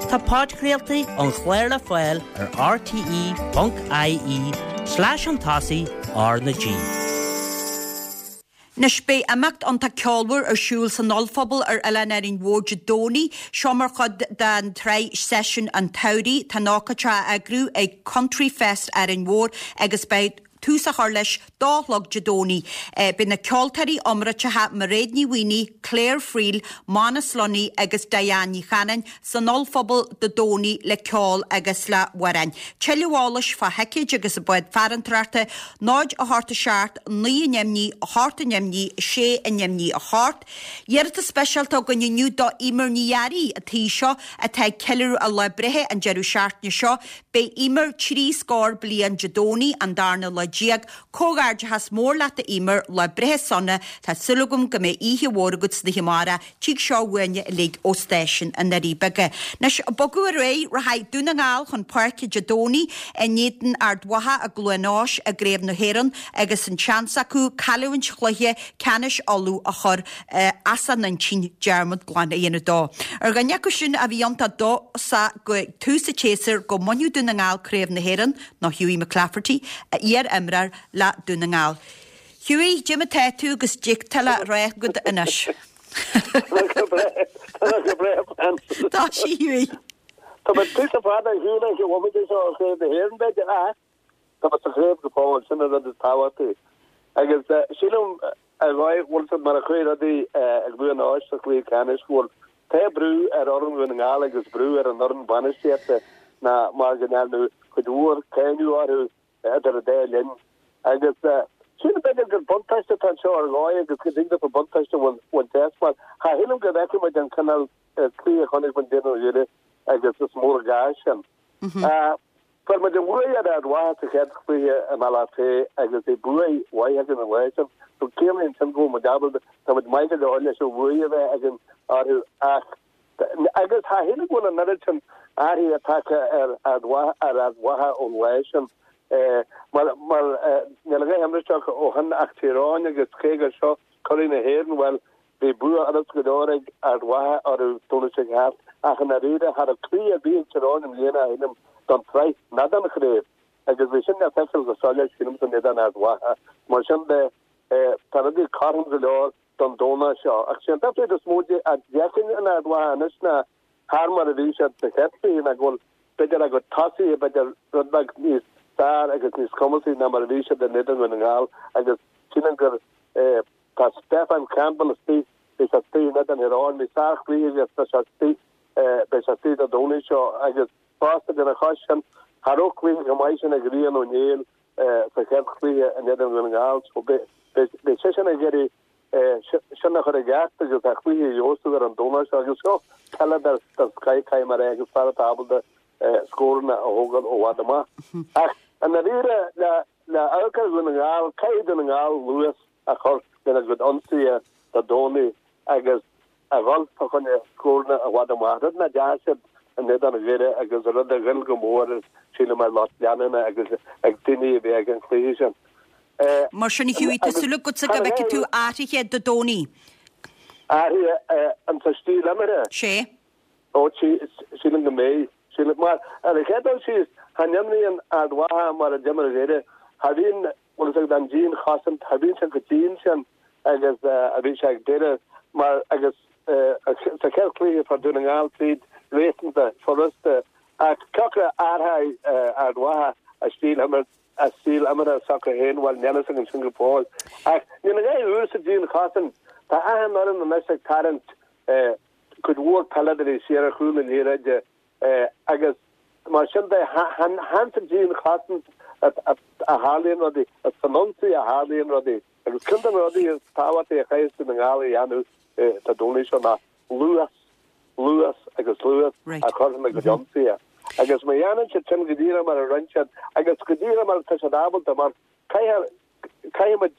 Tá podchraoltaí an chláir le fáil ar rte.ie slash chun tosaigh R na G. Anois beidh imeacht iontach ceolmhar ar siúl san ollphuball ar Oileán Árainn Mhór Dé Domhnaigh, seo mar chuid den tsraith Seisiún an tSamhraidh. Tá an ócáid á eagrú ag Country Fest Árainn Mhór agus beidh tús á chur leis dó a chlog Dé Domhnaigh. Beidh na ceoltóirí iomráiteacha Mairéad Ní Mhaonaigh, Claire Friel, Manus Lunny agus Diane Ní Chanainn san ollphuball Dé Domhnaigh le ceol agus le hamhráin. Tuilleadh eolais fá thicéid agus an bád farantóireachta, náid a hocht a seacht, naoi a neamh naoi, a hocht a neamh naoi, sé a neamh naoi, a hocht. Iarratas speisialta againn inniu do Emer Ní Fhearraigh, an tí seo atá ag ceiliúradh a lá breithe an deireadh seachtaine seo. Beidh Emer trí scór bliain Dé Domhnaigh, an darna lá déag. Comhghairdeachas mór leat a Emer, lá breithe sona, tá súil agam go mbeidh oíche mhór agat san oíche amárach, tig seo uainne uilig ó stáisiún na nDoirí Beaga. Anois, bogadh ar aghaidh, rachaidh Dún na nGall chun páirce Dé Domhnaigh in éadan Ard Mhacha i gCluain Eois i gCraobh na hÉireann agus an seans acu cailliúint chluiche ceannais Uladh a chur as a n-intinn, dearmad glan a dhéanamh dó. Ar dhuine acu sin a bhí iontach dóchasach go tús an tséasúir go mbainfeadh Dún na nGall Craobh na hÉireann ná Hughie McClafferty, iar-imreoir le Dún na nGall. Hughie, cad é mar tá tú agus cad tá le rá agat anois. Tá sí Hughie. Tá mé píosa fada ar shiúl ag an bhomaite seo ó Chraobh na hÉireann, b'fhéidir, ach tá mé sa chraobh go fóill, sin an rud is tábhachtaí. Agus sílim ar dhóigh, bhfuil siad mar a chuaigh rudaí i gCluain Eois sa chluiche ceannais, go bhfuil tá brú ar fhoireann Dhún na nGall agus brú ar an fhoireann bainistíochta ná mar go ndearnadh cuid mhór cáineadh orthu idir an dá linn. Agus sílim b'fhéidir gur buntáiste atá anseo ar dhóigh agus go dtig leofa buntáiste a bhaint as mar cha shílim go bhfeicfidh muid an cineál cluiche a chonaic muid in éadan Dhoire agus is mór an gá sin. Fuair muid an bhuaidh ar Ard Mhacha sa chéad chluiche i mBealach Féich agus bhí buaidh mhaith againn an lá sin. So ciallaíonn sin go bhfuil muid ábalta, tá muid maith go leor leis an bhuaidh a bheith againn orthu ach agus cha shílim go bhfuil an oiread sin athraithe tagtha ar Ard Mhacha, ar Ard Mhacha ón lá sin. Mar, mar níl a dhath imrithe acu ó shin ach Tír Eoghain agus cé gur seo curaidh na hÉireann, bhuel, bhí bua fhurust go leor ag Ard Mhacha orthu Domhnach seo thart ach i ndáiríre cha raibh cluiche ar bith ag Tír Eoghain i mbliana, shílim, don tsraith ná don chraobh agus bhí sin le feiceáil go soiléir, sílim, in éadan Ard Mhacha. Mar sin de, tá rudaí cothrom go leor don Domhnach seo. Ach sé an difríocht is mó a d'fheicfinn in Ard Mhacha anois ná thar mar a bhí siad sa chéad chluiche ná go bhfuil b'fhéidir a gcuid tosaithe b'fhéidir rud beag níos fearr agus níos cumasaí ná mar a bhí siad in éadan Dhún na nGall agus sílim gur tá Stefan Campbell istigh, bhí sé istigh in éadan Thír Eoghain, bhí sárchluiche aige tá sé istigh, beidh sé istigh Dé Domhnaigh seo agus fosta lena chois sin, cha raibh cluiche chomh maith sin ag Rian Ó Néill sa chéad chluiche in éadan Dhún na nGall so beidh seisean ag iarraidh sin a chur i gceart agus a chluiche a fheabhsú ar an Domhnach seo agus seo peileadóir den scoith caithfidh mé a rá agus fear atá ábalta scóranna a thógáil ó bhfad amach. Ach i ndáiríre le le amharc ar Dhún na nGall, caithfidh Dún na nGall luas a chur lena gcuid ionsaithe Dé Domhnaigh agus a dhul fá choinne scóranna i bhfad amach, rud nach ndeachaigh siad in éadan Dhoire agus rud a ghoill go mór sílim ar lucht leanúna agus ag daoine a bhí ag an chluiche sin. Mar sin, a Hughie, tá súil agatsa go bhfeicfidh tú athruithe Dé Domhnaigh. Athruithe an sa stíl imeartha? Sé. Ó, sílim go mbeidh. Sílim, mar ar an chéad dul síos, cha n-imríonn Ard Mhacha mar a d'imir Doire. Cha bhíonn, bhfuil fhios agat, an dianchosaint, cha bhíonn sé chomh dian sin agus a bhí sé ag Doire mar agus sa chéad chluiche fuair Dún na nGall tríd réasúnta furasta ach cé acu a athróidh Ard Mhacha a stíl imirt a stíl imeartha s'acu féin, bhuel, níl fhios againn sin go fóill. Ach níl a dhath úr sa dianchosaint. Tá achan fhoireann anois ag tarraingt cuid mhór peileadóirí siar ar chúl na liathróide agus mar sin de, chan sa dianchosaint a tharlaíonn rudaí, is san ionsaí a tharlaíonn rudaí. Agus ceann de na rudaí is tábhachtaí a chaithfeas Dún na nGall a dhéanamh Dé Domhnaigh seo ná luas, luas agus luas a chur ina gcuid ionsaithe. Agus má dhéanann siad sin go díreach mar a rinne siad, agus go díreach mar atá siad ábalta, mar caithfidh muid,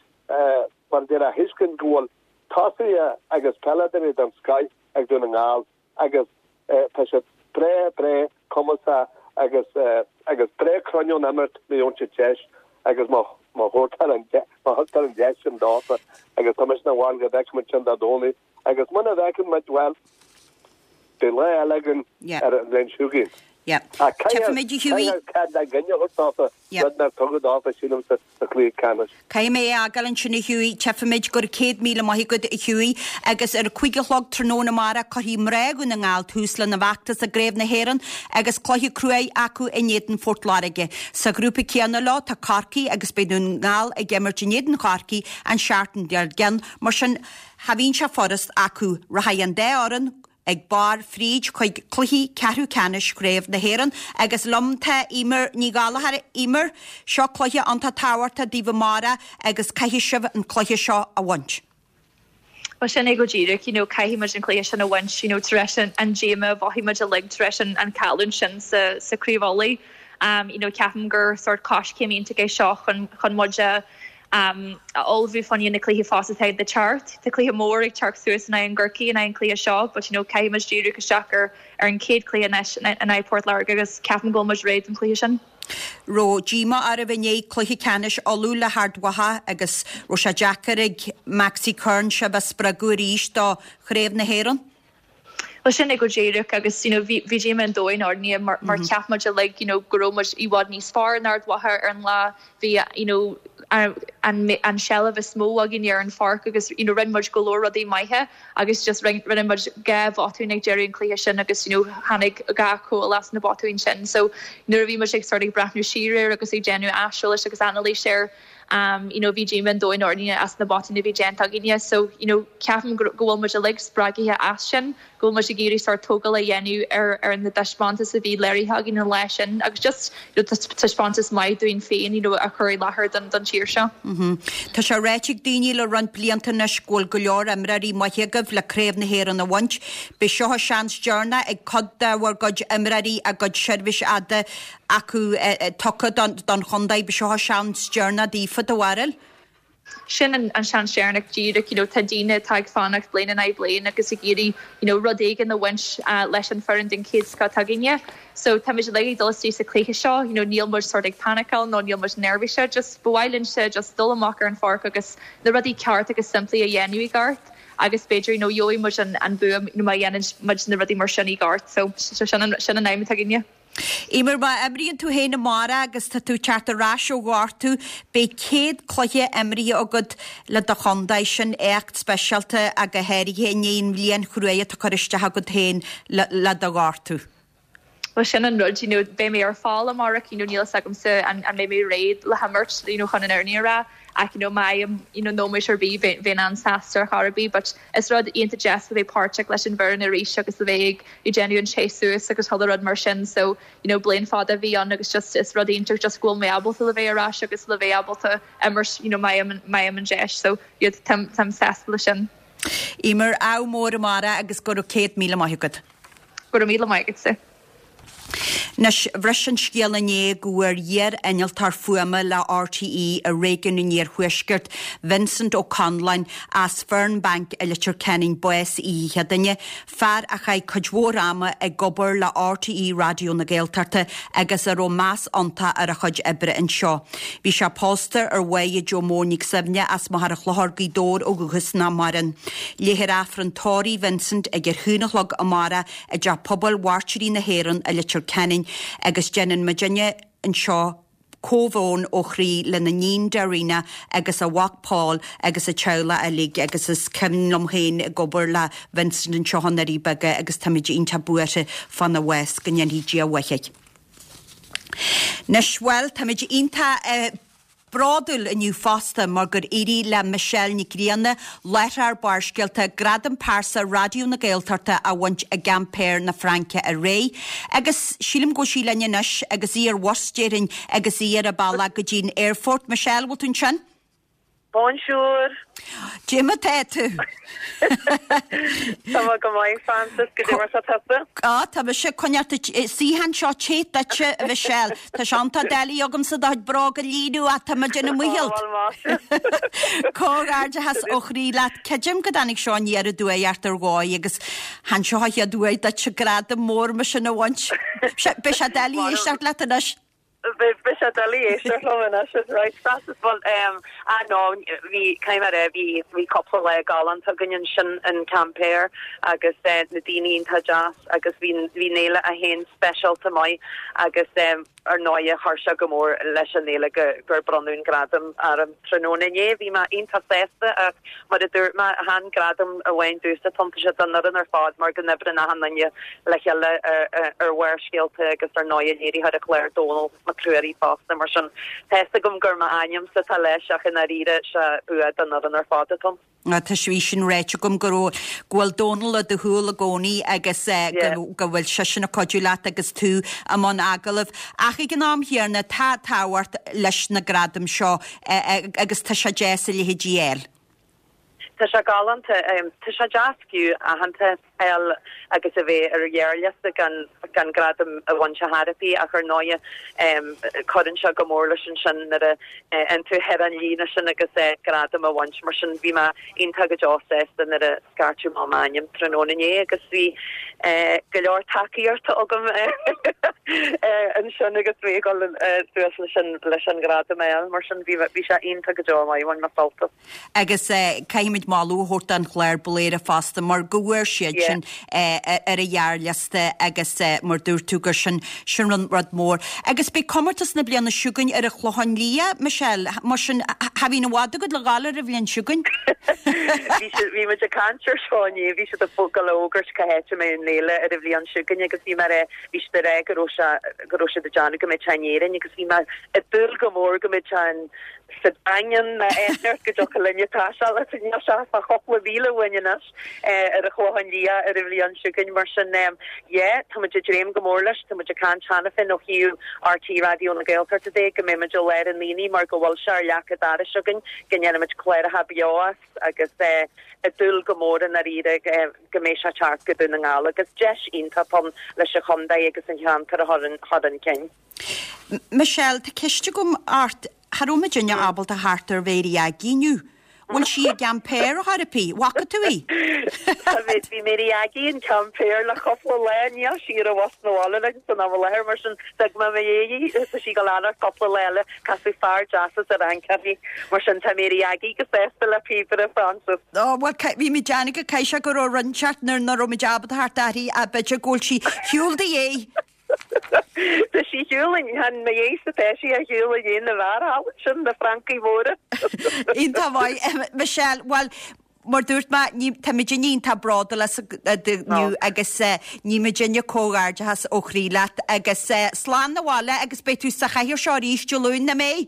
mar a déarfá, a thuiscint go bhfuil tosaithe agus peileadóirí den scoith ag Dún na nGall agus tá siad breá, breá cumasach agus agus breá cruinn ón imirt má gheobhann siad deis agus má má thugtar an má thugtar an deis sin dófa agus tá mise ina bharúil go bhfeicfidh muid sin Dé Domhnaigh agus muna bhfeiceann muid bhuel beidh lá eile againn ar an bhliain seo chugainn. Tchífimid a Hughie. Cead le gine a thabhairt dófa, rud nár tugadh dófa sílim sa chluiche ceannais. Caithfidh mé é a fhágáil ansin a Hughie. Tchífimid go raibh céad míle maith agat a Hughie agus ar a cúig a chlog tráthnóna amárach cuirfidh mná Dhún na nGall tús lena bhfeachtas i gCraobh na hÉireann agus cluiche cruaidh acu in éadan Phort Láirge. Sa ghrúpa céanna leo tá Corcaigh agus beidh Dún na nGall ag imirt in éadan Chorcaí an seachtain dár gcionn. Mar sin cha bhíonn sé furast acu. Rachaidh an dá fhoireann ag barr fríd chuig cluichí ceathrú ceannais Chraobh na hÉireann agus liom tá Eimear Ní Ghallchóir. Eimear, seo cluiche iontach tábhachtach daoibh amárach agus caithfidh sibh an cluiche seo a bhaint. Bhuel sin é go díreach, you know, caithfidh muid an cluiche sin a bhaint, you know, tar éis an, an díomá a mhothaigh muid uilig tar éis an, an chailliúint sin sa, sa Chraobh Uladh. Um, you know, ceapaim gur sort coiscéim iontach é seo chun, chun muid a um, a ullmhú fá choinne na cluichí fós atá le teacht. Tá cluiche mór ag teacht suas in aghaidh an Gcorcaigh in aghaidh an cluiche seo, but you know, caithfidh muid díriú isteach ar ar an chéad cluiche anois in aghaidh Port Láirge agus ceapaim go bhfuil muid réidh don chluiche sin. Raibh díomá oraibh i ndiaidh cluiche ceannais Uladh le hArd Mhacha agus raibh sé deacair ag Maxi Curran sibh a spreagadh arís do Chraobh na hÉireann? Well sin é go díreach agus you know, bhí bhí díomá an domhain orainne mar, mar cheap muid uilig you know, go raibh muid i bhfad níos fearr ná Ard Mhacha ar an lá bhí you know, an, an, an seilbh is mó againn ar an pháirc agus you know, rinne muid go leor rudaí maithe agus just rinne muid dhá bhotún ag deireadh an cluiche sin agus you know, tháinig dhá chúl as na botúin sin. So nuair a bhí muid ag sort ag breathnú siar agus ag déanamh aiseolais agus anailís air um, you know, bhí díomá an domhain orainne as na botúin a bhí déanta againne, so you know, ceapaim go bhfuil muid uilig spreagtha as sin, go bhfuil muid ag iarraidh sort tógáil a dhéanamh ar ar na taispeántas a bhí léirithe againn an lá sin agus just you know, taispeántas maith dúinn féin you know, a chur i láthair don don tír seo. Mm -hmm. Tá sé ráite ag daoine le roinnt blianta anois go bhfuil go leor imreoirí maithe agaibh le Craobh na hÉireann a bhaint. Beidh seo seans deireanach ag cuid de bhur gcuid imreoirí a gcuid seirbhís fhada acu tugtha don, don chontae, beidh seo seans deireanach daofa do bharúil? Sin an, an seans deireanach díreach you know, tá daoine atá ag fanacht bliain in aghaidh bliain agus ag iarraidh you know, rud éigin a bhaint uh, leis an foireann den chéad scoth againne. So tá muid ag dul isteach sa cluiche seo, you know, níl muid sort ag paniceáil nó níl muid neirbhíseach, just ba mhaith linn just dul amach ar an pháirc agus na rudaí ceart agus simplí a dhéanamh i gceart agus b'fhéidir you know, gheobhaidh muid an, an bua you know, má dhéanann muid na rudaí mar sin i gceart, so sin an, sin an aidhm atá againne. Eimear má imríonn tú féin amárach agus tá tú teacht ar ais ó ghortú, beidh céad cluiche imrithe agat le do chontae sin éacht speisialta ach go háirithe i ndiaidh an bhliain chruaidh atá curtha isteach agat féin le, le do ghortú. Well sin an rud you know, beidh mé ar fáil amárach you know, níl a fhios agamsa an, an mbeidh mé réidh le himirt you know, chun an fhírinne a rá ach you know, má you know, nóiméad ar bith bheinn an-sásta ar chor ar bith, but is rud iontach deas a bheith páirteach leis an bhfoireann arís agus a bheith ag déanamh an séasúr agus chuile rud mar sin so you know, bliain fada a bhí ann agus just is rud iontach just go bhfuil mé ábalta le bheith ar ais agus le bheith ábalta imirt you know, má fhaighim an deis so yeah, táim táim sásta le sin. Eimear ádh mór amárach agus go raibh céad míle maith agat. Go raibh míle maith agatsa. Anois bhris an scéal inné go bhfuair iar-innealtóir fuaime le RTÉ i réigiún an Iarthuaiscirt, Vincent Ó Conláin as Fernbank i Leitir Ceanainn bás oíche Chéadaoine, fear a chaith cuid mhór ama ag obair le RTÉ Raidió na Gaeltachta agus a raibh meas iontach ar a chuid oibre anseo. Bhí sé pósta ar Mháire Joe Mór Nic Suibhne as Machaire Chlochair Gaoth Dobhair ó dhúchas nach maireann. Léifear Aifreann tórraimh Vincent ag ar haon a chlog amárach i dTeach Pobail Mhairtírí na hÉireann i Leitir Ceanainn agus déanann muidinne anseo comhbhrón ó chroí lena níon Darina agus a mhac Paul agus a teaghlach uilig agus is cuimhin liom féin ag obair le Vincent anseo i nDoirí Beaga agus táimid iontach buartha fána bhás go ndéanfaidh Dia a mhaith air. Anois bhuel táimid iontach uh, bródúil inniu fosta mar gur éirigh le Michelle Nic Grianna láithreoir Barrscéalta Gradam Pearsa Raidió na Gaeltachta a bhaint i gCampéir na Fraince aréir. Agus sílim go bhfuil sí linn anois agus í ar bhus déarfainn agus í ar a bealach go dtí'n airport. Michelle bhfuil tú ansin? Bonjour. Cad é mar tá tú. Tá go maith Francis go mar sa tusa? Á tá sé coinneáil suíochán seo te duitse a Michelle. Tá sé an-tá deilí agamsa do bhróga a líonadh atá ma déanamh muialt. Comhghairdeachas ó chroí leat Creidim go dtáinig seo aniar aduaidh ort ar dhóigh agus chan seo a chéad uair duit gradam mór mar sin a bhaint. Beidh sé doiligh éisteacht leat anois. Beidh sé doiligh éisteacht liom anois is right Francis bhuel um, ah no bhí caithfidh mé a rá bhí bhí cúpla lá galánta againn ansin in Quimper agus eh, na daoine iontach deas agus bhí bhí an fhéile féin speisialta maith agus um, ar ndóigh chuir sé go mór leis an fhéile go gur bronnadh an gradam orm tráthnóna inné bhí mé iontach sásta ach mar a dúirt mé chan gradam amháin domhsa tá sé don fhoireann ar fad mar go n-oibríonn achan duine le chéile ar ar Bharrscéalta agus ar ndóigh léiritheoir an chláir Dónal Mac Ruairí fosta mar sin tá fhios agam gur m'ainmse atá leis ach i ndáiríre sé bua don fhoireann ar fad atá. Tá sé sin ráite agam go go bhfuil Dónal i do shúil i gcónaí agus go go bhfuil seisean ag cuidiú leat agus tú i mbun agallamh. Ach ag an am chéanna tá tábhacht leis na gradaim seo agus tá sé deas a leithéidí a fháil. Tá sé galánta tá sé deas fiú aitheantas a fháil agus a bheith ar ghearrliosta gan gan gradam a bhaint ar chor ar bith ach ar ndóigh cuireann sé go mór leis ansin nuair a an tú ar an líne sin agus gradam a bhaint mar sin bhí mé iontach go deo sásta nuair a scairteadh m'ainm tráthnóna inné agus bhí go leor tacaíochta agam ansin agus mé ag dul suas leis an leis an gradam a fháil mar sin bhí bhí sé iontach go deo maith bhain mé sult as. Agus caithfimid moladh a thabhairt don chlár Bladhaire fosta mar go bhfuair siad sin ar a ghearrliosta agus mar dúirt tú gur sin sin rud rud mór. Agus beidh comórtas na bliana seo chugainn ar an Chlochán Liath, Michelle, mar sin cha bhíonn i bhfad agat le dhul ar an bhliain seo chugainn. Bhí muid ag caint ar seo inné bhí siad ag dul a fhógairt cá háit a mbeidh an fhéile ar an bhliain seo chugainn agus bhí mé bhí siad ag rá go raibh sé go raibh siad ag déanamh go mbeidh sé in Éirinn agus bhí mé ag dúil go mór go mbeidh sé in sa Daingean nó áit go dtiocfadh linne taisteal is níl sé ach cúpla míle uainn anois ar an Chlochán Liath ar an bhliain seo chugainn mar sin yeah tá muid ag dréim go mór leis tá muid ag caint cheana féin ó thaobh RTÉ Raidió na Gaeltachta de go mbeidh muid i lár an aonaigh mar go bhfuil sé ar leac an dorais againn go ndéanfaimid cláracha beo as agus ag dúil go mór i ndáiríre go mbeidh sé teacht go Dún na nGall agus deis iontach ann leis an chontae agus an cheantar a chur chun cinn. Michelle, tá ceist agam ort Cha raibh muidinne ábalta theacht ar Mhéirí Aggie inniu. Bhfuil sí i gCampéir a therapy, bhfaca tú í? Bhí Mary Aggie in Quimper le cúpla lá níl sí ar an bhus na bhaile linn san am láthair mar sin d'fhág mé mo dhéí tá sí go leanach cúpla lá eile casadh fear deas as ar an mar sin tá Mary Aggie go sásta le píobaire Francis. Ó well bhí mé déanamh go caithfidh sé go raibh roinnteacht nuair nach raibh muid ábalta theacht uirthi a b'fhéidir go bhfuil sí ar shiúl do dhéidh. Tá sí ar shiúl chan mo dhéidh tá sí ar shiúl i ndiaidh na bhfear thall sin na francaigh mhóra. Iontach maith Michelle, well mar dúirt mé tá muidinne iontach bródúil inniu agus ní muidinne comhghairdeachas ó chroí leat agus slán na bhaile agus beidh tú sa chathaoir seo arís Dé Luain nach mbeidh?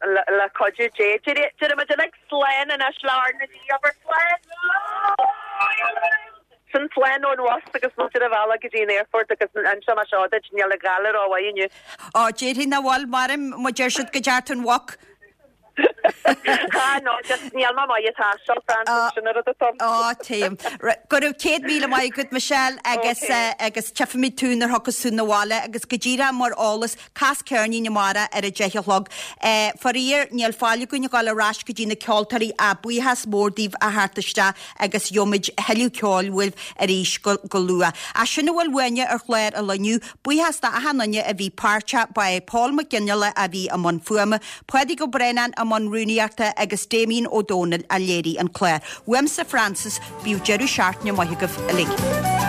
Le cuidiú Dé Déarfaidh muid slán anois le R na G abair slán. Sin slán ón bhus agus muid ar an bhealach go dtí an airport agus anseo mar seo duit níl an ghalar rómhaith inniu. Á déarfainn nach bhfuil mar má deir siad go dtearc an mhuc. Ha no just níl mé maith ag taisteal Francis sin an rud atá. Á téim. Go raibh céad míle maith agat Michelle agus agus tchífimid tú nuair a thiocfas tú na bhaile agus go díreach mar eolas cas ceirnín amárach ar a deich a chlog. Faraor níl fáil againn a dhul ar ais go dtí na ceoltóirí a buíochas mór daoibh a theacht isteach agus gheobhaimid thuilleadh ceoil uaibh arís go, go luath. Ach sin a bhfuil uainne ar chlár an lae inniu, buíochas do achan duine a bhí páirteach ba é Paul Mac Ginnela a bhí i mbun fuaime, Pádraig Ó Braonáin i mbun rúnaíochta agus Damien Ó Dónaill a léirigh an clár. Uaimse Francis, bíodh deireadh seachtaine maith agaibh uilig.